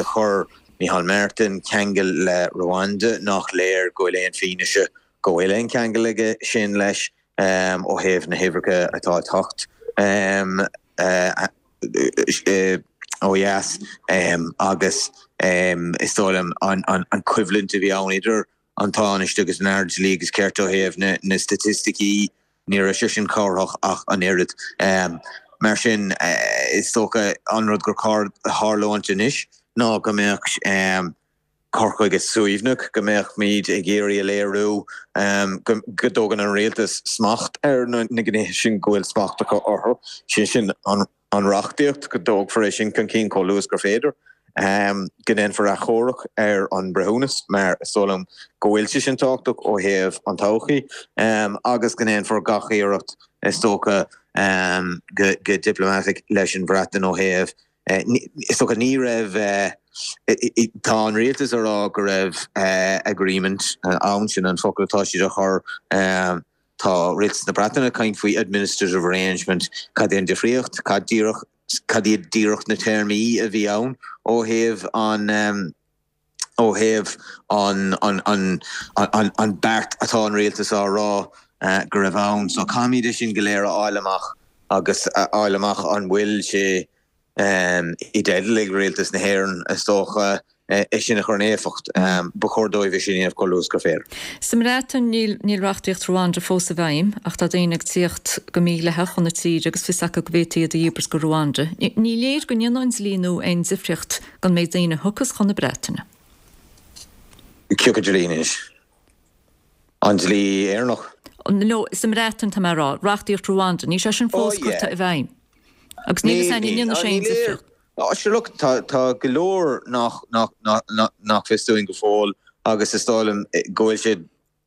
chuir Micheál Martin ceangal le Rwanda, nach léir go bhfuil aon fianaise go bhfuil aon cheangal aige sin leis ó thaobh na huimhreacha atá ag teacht. ó dheas agus is dóigh liom an choimhlint a bhí ann idir an Tánaiste agus an Aire Dlí agus Cirt ó thaobh na staitisticí, ní raibh sé sin cabhrach ach an oiread. Mar sin, is dócha an rud gur chóir a tharlúint anois ná go mbeadh cur chuige suaimhneach, go mbeimid ag iarraidh a léiriú go dtógann an rialtas smacht ar na gnéithe sin go bhfuil smacht acu orthu, sé sin an reachtaíocht, go dtógfar é sin chun cinn chomh luath is gur féidir, go ndéanfar achomharc ar an mbreithiúnas mar is dóigh liom go bhfuil sé sin tábhachtach ó thaobh an todhchaí, agus go ndéanfar gach iarracht is dócha go diplomatic leis an Bhreatain ó thaobh Is dócha ní raibh, tá an rialtas a rá go raibh agreement ann, sin an focal atá siad a chur, tá rialtas na Breataine ag caint faoi administrative arrangement, cad é an difríocht, cad díreach, cad iad díreach na téarmaí a bhí ann ó thaobh an, ó thaobh an, an, an, an, an beart atá an rialtas á rá go raibh ann. So caithfimid é sin go léir a fháil amach agus a fháil amach an bhfuil sé i dteideal ag rialtas na hÉireann, is dócha, é sin a chur in éifeacht. Ba chóir dóibh é sin a dhéanamh chomh luath is gur féidir. Sa mBreatain, níl, níl reachtaíocht Rwanda fós i bhfeidhm, ach tá daoine ag tíocht go mídhleathach chun na tíre agus fios acu go bhféadfaí iad a dhíbirt go Rwanda. Ní léir go ndéanfaidh an dlí nua aon difríocht don méid daoine a thiocfas chun na Breataine. Cé acu dlí anois? An dlí Éireannach? No, sa mBreatain tá mé a rá. Reachtaíocht Rwanda, níl sé sin fós curtha i bhfeidhm. Agus níl fhios againn an ndéanfaidh sé aon difríocht. Ó, sure look, tá tá go leor nach nach nach nach fios dúinn go fóill agus is dóigh liom go bhfuil sé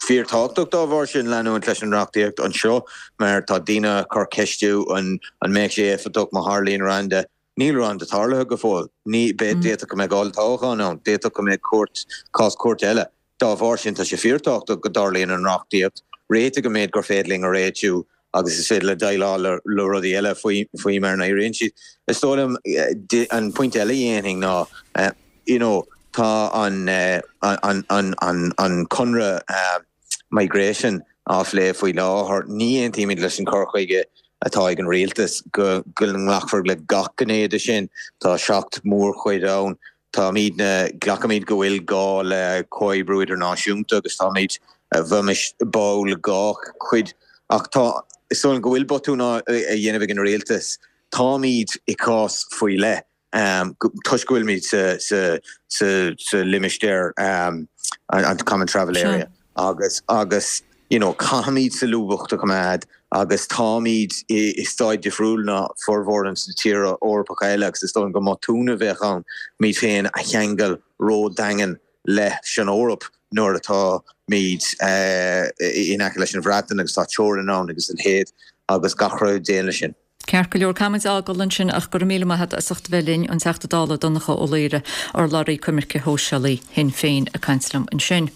fíorthábhachtach dá bharr sin leanúint leis an reachtaíocht anseo mar tá daoine ag cur ceistiú an an mbeadh sé éifeachtach má tharlaíonn Rwanda. Níl Rwanda tarlaithe go fóill. Ní, d'fhéadfadh go mbeadh olltoghchán ann, d'fhéadfadh go mbeadh cúirt, cás cúirte eile. Dá bharr sin, tá sé fíorthábhachtach go dtarlaíonn an reachtaíocht, réitigh an méid gur féidir linn a réitiú agus is féidir le déileáil le rudaí eile faoi, faoi mar a n-éiríonn siad. Is dóigh liom, an pointe eile a dhéanfainn ná, you know, tá an, an, an, an, an conradh, migration á phlé faoi láthair. Ní aontaímid leis an chur chuige atá ag an rialtas go nglacfar le gach gné de sin. Tá 7 mórchuid ann. Táimidne, glacaimid go bhfuil gá le comhoibriú idirnáisiúnta agus táimid, bheimis báúil dhá chuid. Ach tá, is dóigh liom go bhfuil botún á dhéanamh ag an rialtas. Táimid i gcás faoi leith. Toisc go bhfuilimid sa limistéar, an Common Travel Area, agus agus you know caithfimid solúbthacht a choimeád agus táimid i staid difriúil ná formhór na tíortha Eorpacha eile agus is dóigh liom go mbotún a bheadh ann muid féin a cheangal ródhaingean leis an Eoraip nuair atáimid in aice leis an Bhreatain agus tá teorainn ann agus a leithéid agus gach rud a dtéann leis sin. Ceart go leor, caithfimid a fhágáil ansin ach go raibh míle maith agat as ucht a bheith linn, an Teachta Dála Donncha Ó Laoghaire, urlabhraí coimirce shóisialaí Shinn Féin ag caint liom ansin.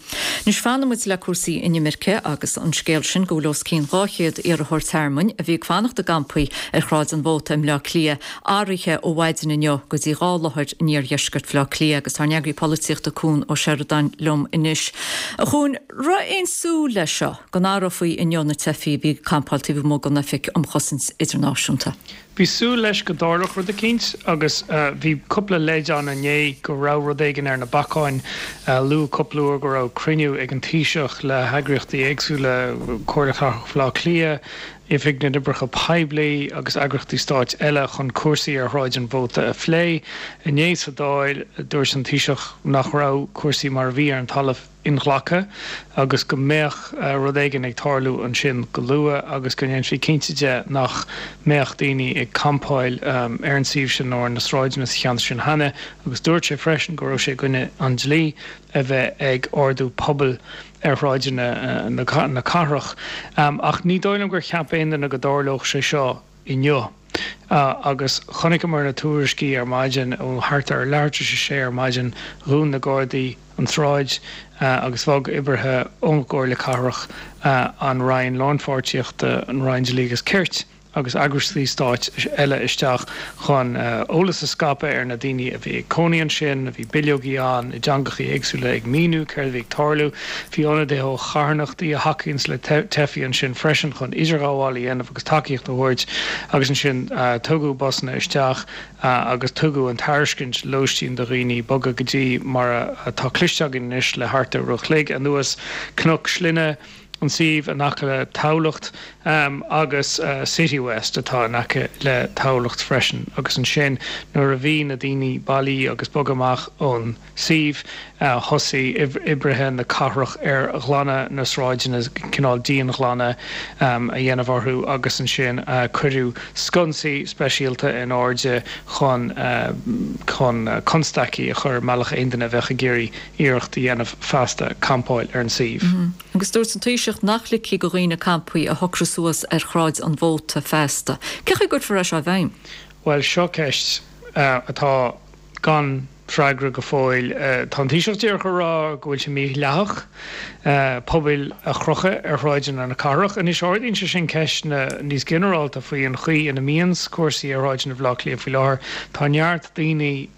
Anois fanfaidh muid le cúrsaí inimirce agus an scéal sin go bhfuil os cionn 200 iarrthóir tearmainn a bhí ag fanacht i gcampaí ar Shráid an Mhóta i mBleá Cliath athraithe ó mhaidin inniu go dtí 2 láthair in iardheisceart Bhaile Átha Cliath agus tá ár n-eagraí polaitíochta Cuan Ó Seireadáin liom anois. A Chuain, raibh aon súil leis seo? go n-athrófaí inniu na teifigh a bhí ag campáil taobh amuigh den Oifig um Chosaint Idirnáisiúnta. Bhí súil leis go dtarlódh rud eicínt agus bhí cúpla leid ann inné go raibh rud éigin ar na bacáin. Luadh cúpla uair go raibh cruinniú ag an Taoiseach le heagraíochtaí éagsúla, Comhairle Cathrach Bhaile Átha Cliath, Oifig na nOibreacha Poiblí agus eagraíochtaí stáit eile chun cúrsaí ar Shráid an Mhóta a phlé. Inné sa Dáil, dúirt an Taoiseach nach raibh cúrsaí mar a bhí ar an talamh. inghlactha agus go mbeadh rud éigin ag tarlú ansin go luath agus go ndéanfaí cinnte de nach mbeadh daoine ag campáil ar an suíomh sin nó ar na sráideanna sa cheantar sin cheana agus dúirt sé freisin go raibh sé i gcoinne an dlí a bheith ag ardú pubaill ar shráideanna na cathrach. Ach ní dóigh liom gur cheap aon duine go dtarlódh sé seo inniu. Agus chonaiceamar na tuairiscí ar maidin, ó thart ar leathuair tar éis a sé ar maidin, dhún na Gardaí an tsráid agus bhog oibrithe ón gComhairle Cathrach, an Roinn Lánpháirtíochta, an Roinn Dlí agus Cirt. agus eagraíochtaí stáit eile isteach chun eolas a scaipeadh ar na daoine a bhí ag cónaí ansin. Bhí bileogaí ann i dteangachaí éagsúla ag míniú céard a bhí ag tarlú. Bhí ionadaithe ó charthanachtaí a thacaíonns le teifigh ansin freisin chun idirghabháil a dhéanamh agus tacaíocht a thabhairt agus ansin tugadh busanna isteach agus tugadh an tairiscint lóistín do dhaoine bogadh go dtí mar atá cloiste againn anois le thart ar uair a chloig anuas, Cnoc Slinne. an suíomh in aice le Tamhlacht agus Citywest atá in aice le Tamhlacht freisin agus ansin nuair a bhí na daoine bailí agus bogtha amach ón suíomh thosaigh oibrithe na cathrach ar ghlanadh na sráideanna, cineál dianghlanadh a dhéanamh orthu agus ansin cuireadh sconsaí speisialta in airde chun chun constaicí a chur i mbealach aon duine a bheadh ag iarraidh iarracht a dhéanamh feasta campáil ar an suíomh. Agus dúirt an Taoiseach nach ligfí do dhaoine campaí a shocrú suas ar Shráid an Mhóta feasta. Cén chaoi a gcuirfear é seo i bhfeidhm? Bhuel, seo ceist atá gan freagra go fóill. Tá an Taoiseach díreach a rá go bhfuil sé mídhleathach pubaill a chrochadh ar shráideanna na cathrach. Anois ardaíonn sé sin ceisteanna níos ginearálta faoi an chaoi ina mbíonns cúrsaí ar shráideanna Bhaile Átha Cliath faoi láthair. Tá neart daoine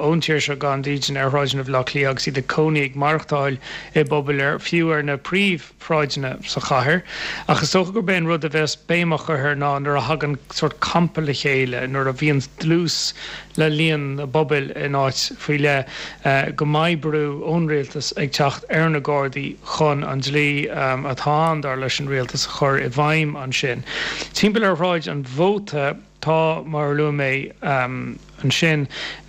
ón tír seo gan dídean ar shráideanna Bhaile Átha Cliath agus iad ag cónaí, ag maireachtáil i bpubaill ar, fiú ar na príomhshráideanna sa chathair. Ach is dócha gurb é an rud a bheas béim á chur air ná nuair a thagann sórt campa le chéile, nuair a bhíonn dlús le líon na bpuball in áit faoi leith, go mbeidh brú ón rialtas ag teacht ar na Gardaí chun an dlí atá ann, dar leis an rialtas, a chur i bhfeidhm ansin. Timpeall ar Shráid an Mhóta, Tá, mar a luaigh mé ansin,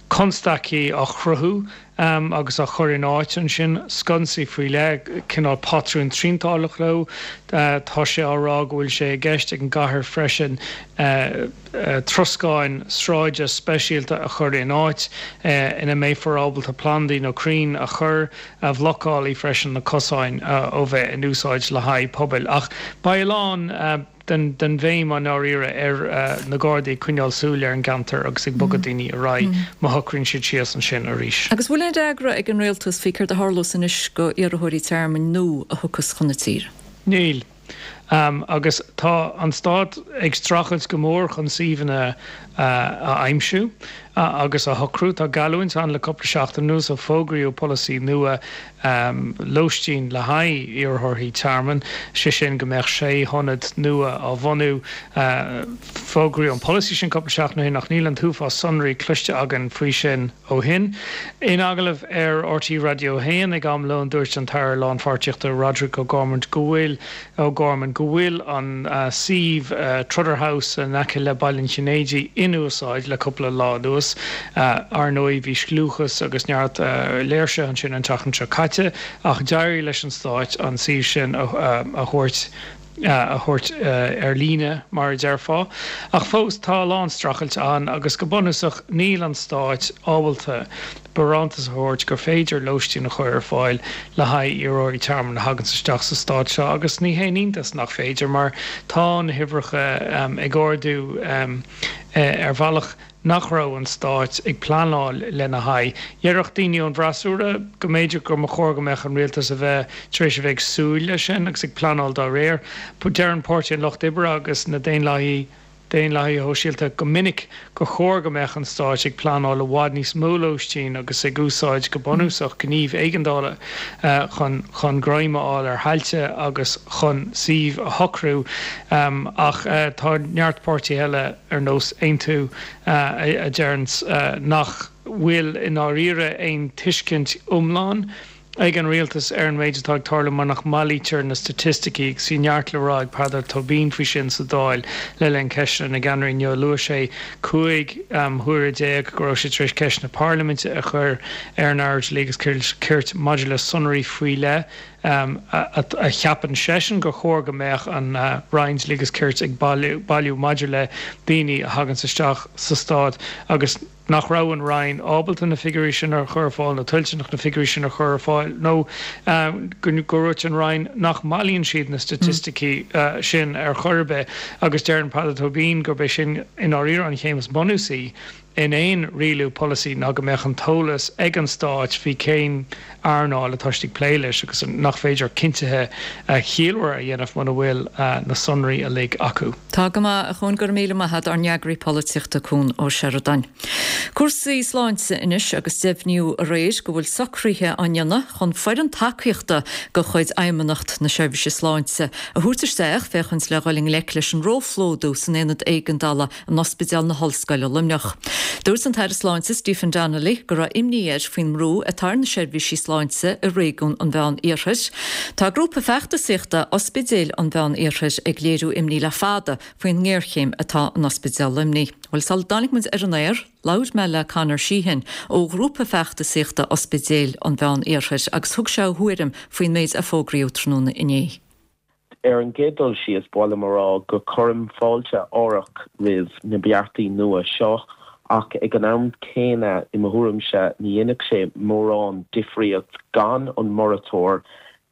constaicí á chruthú agus á chur in áit ansin, sconsaí faoi leith, cineál patrún triantánach leo. Tá sé á rá go bhfuil sé i gceist ag an gcathair freisin troscáin sráide speisialta a chur in áit ina mbeifear ábalta plandaí nó crainn a chur, a bhlocálfaidh freisin na cosáin ó bheith in úsáid le haghaidh pubaill. Ach beidh a lán. den bhéim i ndáiríre ar na Gardaí ag coinneáil súil ar an gceantar agus ag bogadh daoine ar aghaidh má shocraíonn siad síos ansin arís. Agus bhfuil aon fhreagra ag an Rialtas faoi céard a tharlós anois go iarrthóirí tearmainn nua a thiocfas chun na tíre? Níl. Agus tá an Stát ag streachailt go mór chun suíomhanna a aimsiú agus a shocrú. Tá geallúint ann le cúpla seachtain anuas ó fógraíodh polasaí nua lóistín le haghaidh iarrthóirí tearmainn, sé sin go mbeadh sé hionad nua á bhunú. Fógraíodh an polasaí sin cúpla seachtain ó shin ach níl an t-uafás sonraí cloiste againn faoi sin ó shin. In agallamh ar RTÉ Raidió 1 ag am lóin dúirt an tAire Lánpháirtíochta Roderic O'Gorman go bhfuil O'Gorman go bhfuil an suíomh Trotter House in aice le Baile an Chinnéidigh in úsáid le cúpla lá anuas. Ar ndóigh bhí scliúchas agus neart léirsithe ansin an tseachtain seo caite ach d'éirigh leis an Stáit an suíomh sin a thabhairt a thabhairt ar líne mar a déarfá. Ach fós tá a lán streachailt ann agus go bunúsach níl an Stáit ábalta barántas a thabhairt gur féidir lóistín a chur ar fáil le haghaidh iarrthóirí tearmainn a thaganns isteach sa stát seo agus ní haon iontas nach féidir mar tá na huimhreacha ag ardú ar bhealach nach raibh an stát ag pleanáil lena haghaidh. Déarfadh daoine ón bhfreasúra go mb'fhéidir go mba chóir go mbeadh an rialtas a bheith tar éis a bheith ag súil leis sin agus ag pleanáil dá réir. Deireann Páirtí an Lucht Oibre agus na Daonlathaithe Daonlathaithe Shóisialta go minic gur chóir go mbeadh an stáit ag pleanáil i bhfad níos mó lóistín agus ag úsáid go bunúsach gníomh éigeandála chun chun greim a fháil ar thailte agus chun suímh a shocrú ach tá neart páirtithe eile ar nós Aontú a deireanns nach bhfuil i ndáiríre aon tuiscint iomlán ag an rialtas ar an méid atá ag tarlú mar nach mbailítear na staitisticí agus bhí neart le rá ag Peadar Tóibín faoi sin sa Dáil le linn Ceisteanna na gCeannairí inniu. Luaigh sé 15 huaire go raibh sé tar éis ceisteanna parlaiminte a chur ar an Aire Dlí agus Cirt maidir le sonraí faoi leith a cheapann seisean gur chóir go mbeadh an Roinn Dlí agus Cirt ag bailiú maidir le daoine a thaganns isteach sa stát agus nach raibh an Roinn ábalta na figiúirí sin a chur ar fáil nó toilteanach na figiúirí sin a chur ar fáil nó go ndúirt an Roinn nach mbailíonn siad na staitisticí sin ar chor ar bith agus deireann Peadar Tóibín gurb é sin i ndáiríre an chéim is bunúsaí in aon rialú polasaí ná go mbeadh an t-eolas ag an Stát faoi cén earnáil atá siad ag plé leis agus nach féidir cinntithe ciallmhara a dhéanamh muna bhfuil na sonraí uilig acu. Tá go maith, a Chuain, go raibh míle maith a't, ár n-eagraí polaitíochta Cuan Ó Seireadáin. Cúrsaí sláinte anois agus deimhníodh aréir go bhfuil socruithe á ndéanamh chun foireann tacaíochta de chuid Fheidhmeannacht na Seirbhíse Sláinte a thabhairt isteach féachaint le dhul i ngleic leis an róphlódú san aonad éigeandála in Ospidéal na hOllscoile Luimneach. Dúirt an tAire Sláinte Stephen Donnelly go raibh imní air faoin mbrú atá ar na seirbhísí sláinte i réigiún an Mheán Iarthair. Tá grúpa feachtasaíochta Ospidéil an Mheán Iarthair ag léiriú imní le fada faoin ngéarchéim atá in Ospidéal Luimnigh. Bhuel, sula dtáinig muid ar an aer, labhair mé le Conor Sheehan ó ghrúpa feachtasaíochta Ospidéil an Mheán Iarthair agus thug sé a thuairim faoin méid a fógraíodh tráthnóna inné. Ar an gcéad dul síos, ba mhaith liom a rá go cuirim fáilte árach roimh na beartaí nua seo ach ag an am céanna, i mo thuairimse, ní dhéanfadh sé mórán difríocht gan an moratóir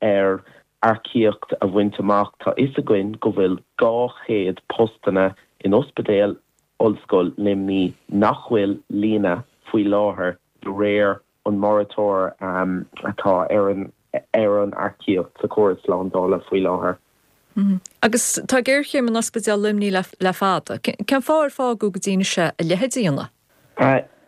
ar earcaíocht a bhaint amach. Tá fhios againn go bhfuil 200 postanna in Ospidéal Ollscoil Luimnigh nach bhfuil líonta faoi láthair de réir an moratóir atá ar an ar an earcaíocht sa chóras slándála faoi láthair. Agus tá géarchéim in Ospidéal Luimnigh le fada. Cén fáth ar fágadh go dtí anois é a leithéid a dhéanamh?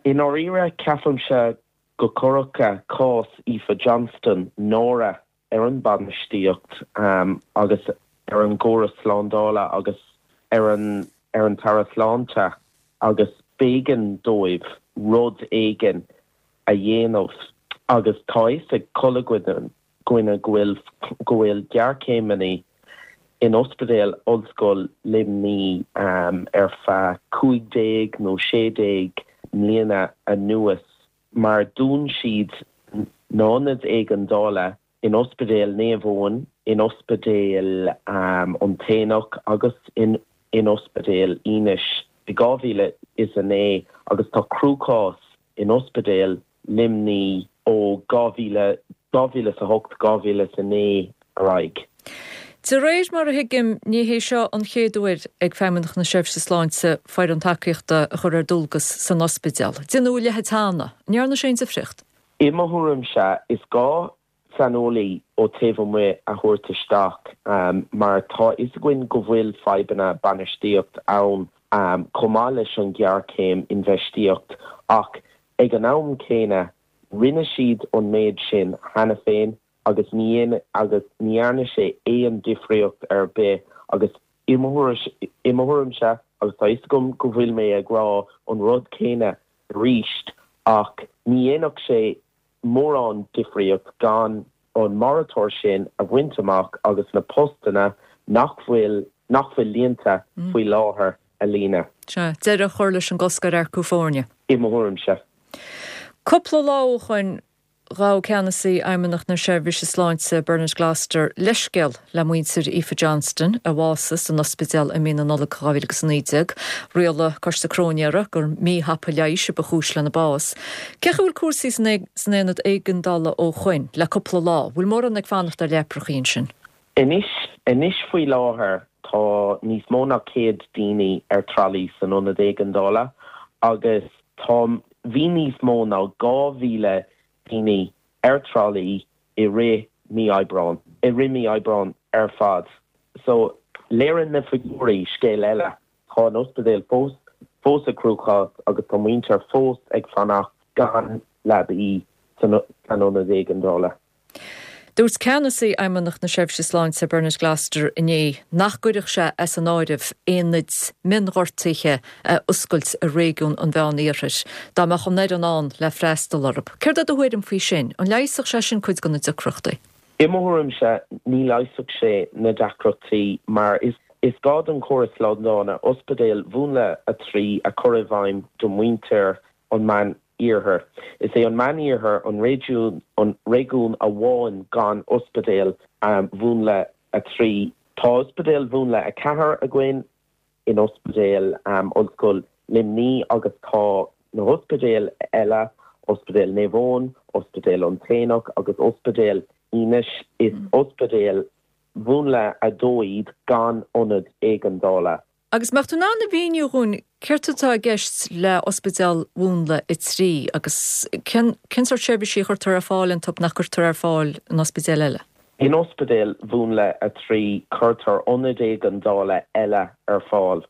I ndáiríre, ceapaimse go gcuirfeadh cás Aoife Johnston náire ar an bainistíocht agus ar an gcóras slándála agus ar an ar an tAire Sláinte agus b'éigean dóibh rud éigin a dhéanamh agus tá fhios ag chuile dhuine go bhfuil go bhfuil géarchéimeanna in Ospidéal Ollscoil Luimnigh ar feadh 15 nó 16 mbliana anuas. mar dún siad na hionaid éigeandála in Ospidéal Naomh Eoin, in Ospidéal an tAonach agus in in Ospidéal Inis i 2009 agus tá cruachás in Ospidéal Luimnigh ó 2008, 2009 ar aghaidh. De réir mar a thuigim, ní hé seo an chéad uair ag Feidhmeannacht na Seirbhíse Sláinte foireann tacaíochta a chur ar dualgas san ospidéal. Déanadh a leithéid cheana. An ndearna sé aon difríocht? I mo thuairimse, is gá saineolaí ó taobh amuigh a thabhairt isteach mar tá fhios againn go bhfuil fadhbanna bainistíocht ann chomh maith leis an ghéarchéim infheistíocht ach ag an am céanna rinne siad an méid sin cheana féin agus ní agus ní dhearna sé aon difríocht ar bith agus i mo i mo thuairimse agus tá fhios agam go bhfuil mé ag rá an rud céanna arís ach ní dhéanfadh sé mórán difríocht gan an moratóir sin a bhaint amach agus na postanna nach bhfuil nach bhfuil líonta faoi láthair a líonadh. Sea, deireadh a chur leis an gcosc ar earcú foirne. I mo thuairimse. Cúpla lá ó shoin Ghabh Ceannasaí Fheidhmeannacht na Seirbhíse Sláinte Bernard Gloster leithscéal le muintir Aoife Johnston, a bhásaigh san ospidéal i mí na Nollag 2019. Rialaigh Coiste Cróinéara gur míthapa leighis a ba chúis lena bás. Cén chaoi a bhfuil cúrsaí san aonad éigeandála ó shoin le cúpla lá? Bhfuil mórán ag fanacht ar leaprachaí ansin? Anois, anois faoi láthair tá níos mó ná 100 daoine ar tralaí san ionad éigeandála agus Tá, bhí níos mó ná 2,000 daoine ar tralaí i rith mí Aibreáin, i rith mí Aibreáin ar fad. So, léiríonn na figiúirí scéal eile. Tá an ospidéal fós, fós i gcruachás agus tá muintir fós ag fanacht gan leabaí san, san ionad éigeandála. Dúirt Ceannasaí Fheidhmeannacht na Seirbhíse Sláinte Bernard Gloster inné nach gcuirfeadh sé as an áireamh aonaid mionghortuithe a oscailt i réigiún an Mheán-Iarthair dá mbeadh an fhoireann ann le freastal orthu. Céard é do thuairim faoi sin? An leigheasfadh sé sin cuid de na deacrachtaí? I mo thuairimse, ní leigheasfadh sé na deacrachtaí mar is gá don chóras slándála ospidéal Mhúnla 3 a chur i bhfeidhm do mhuintir an Meán Iarthair. Is é an Meán Iarthar an réigiún an réigiún amháin gan ospidéal Mhúnla 3. Tá ospidéal Mhúnla 4 againn in Ospidéal Ollscoil Luimnigh agus tá na hospidéil eile, Ospidéal Naomh Eoin, Ospidéal an tAonach agus Ospidéal Inis, is ospidéil Mhúnla 2 iad gan ionad éigeandála. Agus mbeadh tú in ann a mhíniú dhúinn céard atá i gceist le Ospidéal Mhúnla 3 agus cén cén sórt seirbhísí a chuirtear ar fáil iontu nach gcuirtear ar fáil in ospidéil eile? In Ospidéal Mhúnla 3 cuirtear ionad éigeandála eile ar fáil.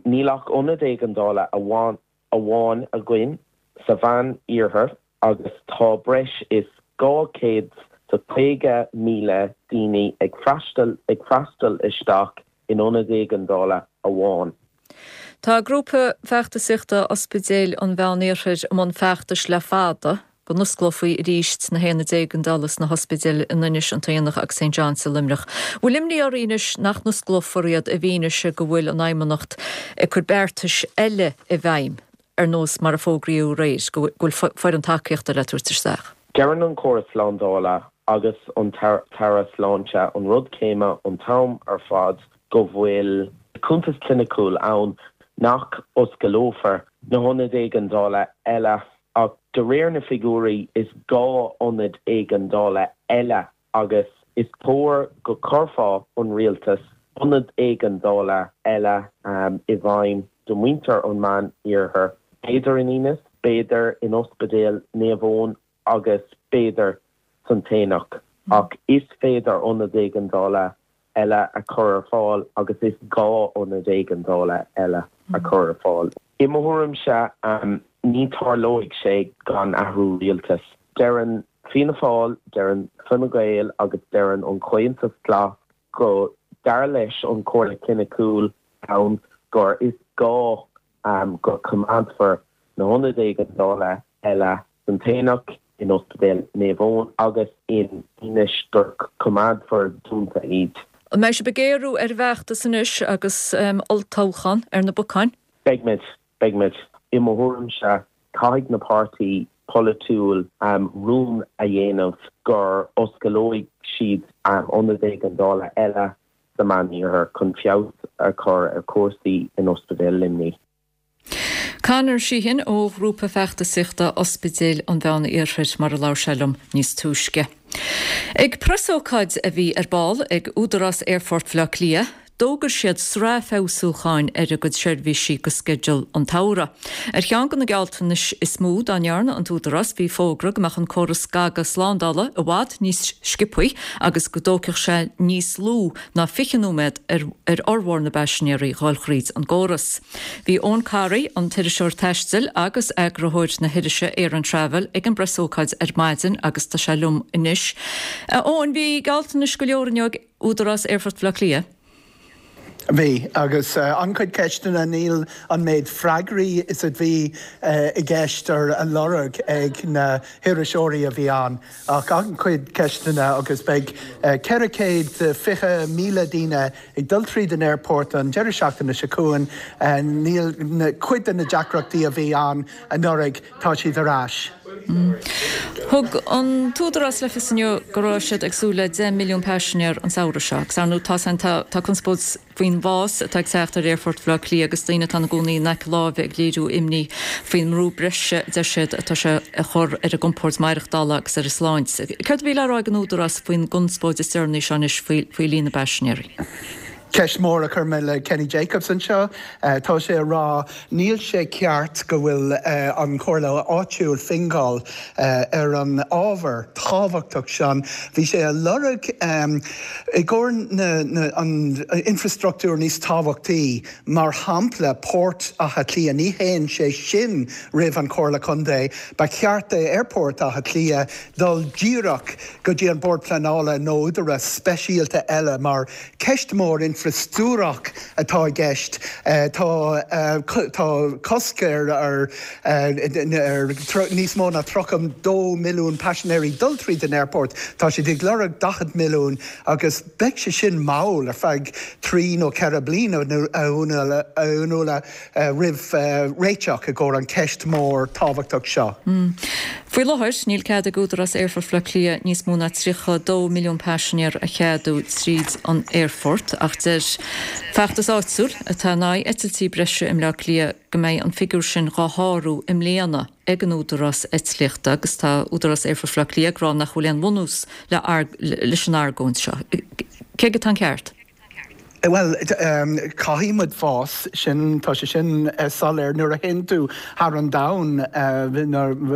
Níl ach ionad éigeandála amháin againn sa Mheán Iarthar agus tá breis is 250,000 daoine ag freastal ag freastal isteach in ionad éigeandála amháin. Tá grúpa feachtasaíochta Ospidéil an Mheán Iarthair i mbun feachtais le fada go n-osclófaí arís na haonaid éigeandála sna hospidéil in Inis, An tAonach agus St John's i Luimneach. Bhfuil imní oraibh anois nach n-osclófar iad i bhfianaise go bhfuil an Fheidhmeannacht ag cur beartais eile i bhfeidhm, ar nós mar a fógraíodh aréir, go bhfuil foireann tacaíochta le tabhairt isteach? Deireann an córas slándála agus an tAire Sláinte an rud céanna an t-am ar fad, go bhfuil cuntas cliniciúil ann nach osclófar na hionaid éigeandála eile ach de réir na figiúirí is gá ionaid éigeandála eile agus is cóir go cuirfeadh an rialtas ionad éigeandála eile i bhfeidhm do mhuintir an Meán Iarthair, b'fhéidir in Inis, b'fhéidir in Ospidéal Naomh Eoin agus b'fhéidir san tAonach ach is féidir ionad éigeandála eile a chur ar fáil agus is gá ionad éigeandála eile a chur ar fáil. I mo thuairimse, ní tarlóidh sé gan athrú rialtais. Deireann Fianna Fáil, deireann Fine Gael agus deireann an Comhaontas Glas go dar leis an Chomhairle Chliniciúil ann gur is gá go coimeádfar na hionaid éigeandála eile san tAonach, in Ospidéal Naomh Eoin agus in Inis gur coimeádfar dúnta iad. An mbeidh sibh ag géarú ar an bhfeachtas anois agus olltoghchán ar na bacáin? Beidh muid. Beidh muid. I mo thuairimse, caithfidh na páirtí polaitiúil rún a dhéanamh gur osclóidh siad ionad éigeandála eile sa Meán-Iarthar chun feabhas a chur ar chúrsaí in Ospidéal Luimnigh. Conor Sheehan ó ghrúpa feachtasaíochta Ospidéil an Mheán Iarthair mar a labhair sé liom níos túisce. Ag preasócáid a bhí ar ball ag Údarás Aerfort Bhaile Átha Cliath, d'fhógair siad sraith feabhsúcháin ar a gcuid seirbhísí go sceideal an tsamhraidh. Ar cheann de na gealltanais is mó dá ndearna an tÚdarás bhí fógra go mbeadh an córas scagadh slándála i bhfad níos sciobthaí agus go dtógfadh sé níos lú ná 20 nóiméad ar fhormhór na bpaisinéirí dhul thríd an gcóras. Bhí Eoin Corry, an t-iriseoir taistil agus eagarthóir na hirise Air and Travel ag an bpreasócáid ar maidin agus tá sé liom anois. A Eoin, bhí gealltanais go leor inniu ag Údarás Aerfort Bhaile Átha Cliath. Bhí, agus an-chuid ceisteanna, níl an méid freagraí is a bhí i gceist ar a lorg ag na hiriseoirí a bhí ann. Ach an-chuid ceisteanna agus beidh 420,000 daoine ag dul tríd an aerport an deireadh seachtaine seo chugainn. Níl cuid de na deacrachtaí a bhí ann anuraidh, tá siad ar ais. Thug an tÚdarás le fios inniu go raibh siad ag súil le 10 milliún paisinéir an samhradh seo agus ar ndóigh tá conspóid faoin bhfás atá ag teacht ar Aerfort Bhaile Átha Cliath agus daoine atá ina gcónaí in aice láimhe ag léiriú imní faoin mbrú breise a deir siad atá sé a chur ar a gcompord maireachtála agus ar a sláinte. Céard a bhí le rá ag an Údarás faoin gconspóid is deireanaí seo anois faoi líon na bpaisinéirí? Ceist mhór a chuir mé le Kenny Jacobs anseo. Tá sé a rá níl sé ceart go bhfuil an Chomhairle áitiúil Fingal ar an ábhar tábhachtach sin. Bhí sé a lorg i gcomhair an infrastruchtúr níos tábhachtaí, mar shampla Port Átha Cliath, ní théann sé sin roimh an Chomhairle Contae. Ba cheart d'Aerfort Átha Cliath dul díreach go dtí an Bord Pleanála nó údarás speisialta eile mar Ceist mhór infreastruchtúrach atá i gceist. Tá tá cosc ar ar níos mó ná 32 milliún paisinéirí dul tríd an aerport. Tá siad ag lorg 40 milliún agus beidh sé sin mall ar feadh 3 nó 4 bliana a Fhionnuala. roimh réiteach i gcomhair an ceist mór tábhachtach seo. Faoi láthair, níl cead ag Údarás Aerfort Bhaile Átha Cliath níos mó ná 32 milliún paisinéir a cheadú tríd an aerfort ach deir feachtas áitiúil atá in aghaidh eitiltí breise i mBleá Cliath go mbeidh an figiúr sin dhá shárú i mbliana ag an Údarás Eitlíochta agus tá Údarás Aerfort Bhaile Átha Cliath ag rá nach bhfuil aon bhunús leis an argóint seo. Cé aige atá an ceart? Bhuel, caithfidh muid fás, sin, tá sé sin soiléir. Nuair a théann tú thar an domhan,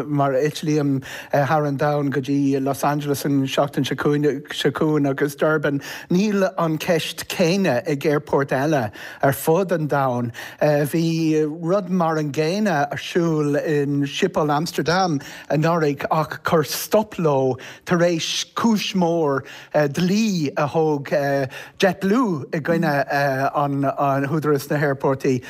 mar eitlím thar an domhan go dtí Los Angeles an seachtain seo chugainn agus Durban, níl an ceist céanna ag aerfoirt eile ar fud an domhain. Bhí rud mar an gcéanna ar siúl in Schiphol Amsterdam anuraidh ach chuir stop leo tar éis cúis mhór dlí a thóg JetBlue i gcoinne an Údarás na hAerphortaí.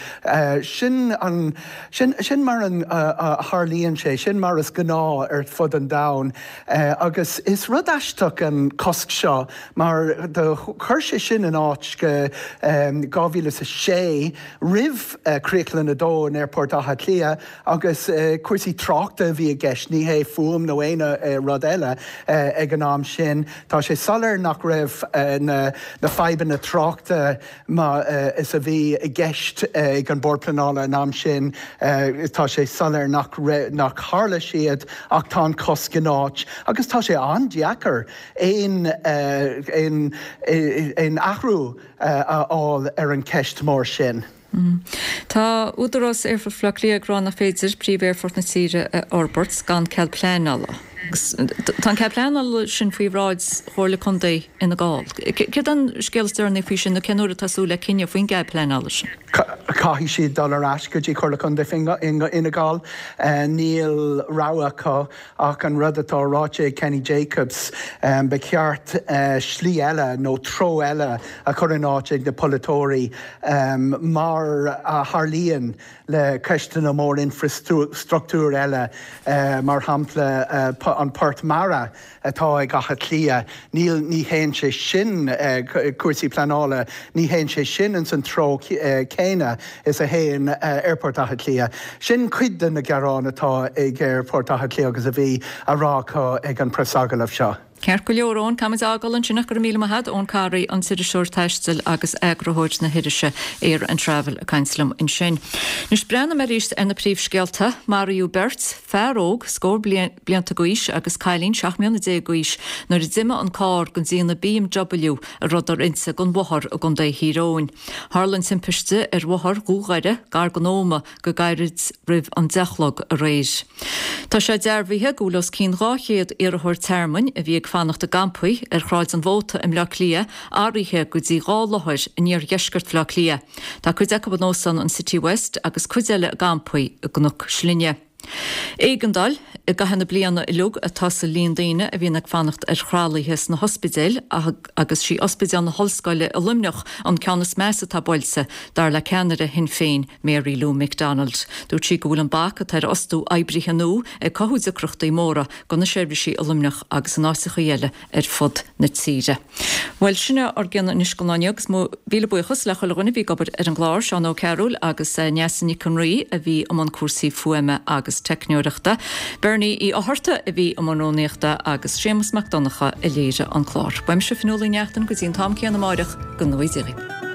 Sin an, sin, sin mar a tharlaíonn sé, sin mar is gnáth ar fud an domhain. Agus is rud aisteach an cosc seo mar do chuir sé sin in áit go 2006 roimh Críoclann 2 in Aerfort Átha Cliath Agus cúrsaí tráchta a bhí i gceist, ní hé fuaim nó aon rud eile ag an am sin. Tá sé soiléir nach raibh na fadhbanna tráchta mar is a bhí i gceist ag an Bord Pleanála an am sin. Tá sé soiléir nach nach tharla siad ach tá an cosc in áit agus tá sé an-deacair aon aon aon athrú a fháil ar an cheist mór sin. Tá Údarás Aerfort Bhaile Átha Cliath ag rá nach féidir príomh-aerfort na tíre a fhorbairt gan cead pleanála. Agus tá an cead pleanála sin faoi bhráid Chomhairle Contae Fhine Gall. Céard an scéal is deireanaí faoi sin nó cén uair atá súil le cinneadh faoin gcead pleanála sin? Caithfidh siad dul ar ais go dtí Comhairle Contae Fhine Gall. Níl rogha acu. Ach an rud atá ráite ag Kenny Jacobs, ba cheart slí eile nó treo eile a chur in áit ag na polaiteoirí, mar a tharlaíonn le ceisteanna mór infreastruchtúir eile, mar shampla an port mara atá ag Áth Cliath. Níl, ní théann sé sin, cúrsaí pleanála, ní théann sé sin ins an treo céanna is a théann Aerfort Átha Cliath. Sin cuid de na gearáin atá ag Aerfort Átha Cliath agus a bhí á rá acu ag an preasagallamh seo. Ceart go leor, Eoin, caithfimid é a fhágáil ansin ach go raibh míle maith agat, Eoin Carey, an t-iriseoir taistil agus eagarthóir na hirise Air and Travel ag caint liom ansin. Anois breathnóidh mé arís ar na príomhscéalta. Maraíodh beirt, fear óg, scór blianta d'aois agus cailín 17 mbliana d'aois nuair a d'imigh an carr den déanamh BMW a rabhadar inti den bhóthar i gContae Thír Eoghain. Tharla an timpiste ar Bhóthar Dhún Dhoire gar don Ómaigh go gairid roimh an 10 a chlog aréir. Tá sé dearbhaithe go bhfuil os cionn 200 iarrthóir tearmainn a bhí ag fanacht i gcampaí ar Shráid an Mhóta i mBleá Cliath athraithe go dtí 2 láthair in iardheisceart Bhaile Átha Cliath. Tá cuid acu in Óstán an Citywest agus cuid eile i gcampaí i gCnoc Slinne. Éigeandáil i gcaitheamh na bliana uilig atá sa líon daoine a bhíonn ag fanacht ar thralaithe sna hospidéil agus sí Ospidéal na hOllscoile i Luimneach an ceann is measa atá buailte, dar le ceannaire Shinn Féin Mary Lou McDonald. Dúirt sí go bhfuil an bac atá ar fhostú oibrithe nua ag cothú deacrachtaí móra do na seirbhísí i Luimneach agus in áiteachaí eile ar fud na tíre. Bhuel, sin é ár gcion anois don lá inniu agus mo mhíle buíochas le chuile dhuine a bhí ag obair ar an gclár, Seán Ó Cearúil agus Neasa Nic an Rí a bhí i mbun cúrsaí fuaime agus teicneoireachta, Bernie Uí Fhátharta a bhí i mbun rúnaíochta agus Séamus Mac Donncha a léirigh an clár. Uaimse Fionnuala Ní Neachtain go dtí an t-am céanna amáireach, go ngnóthaí Dia dhaoibh.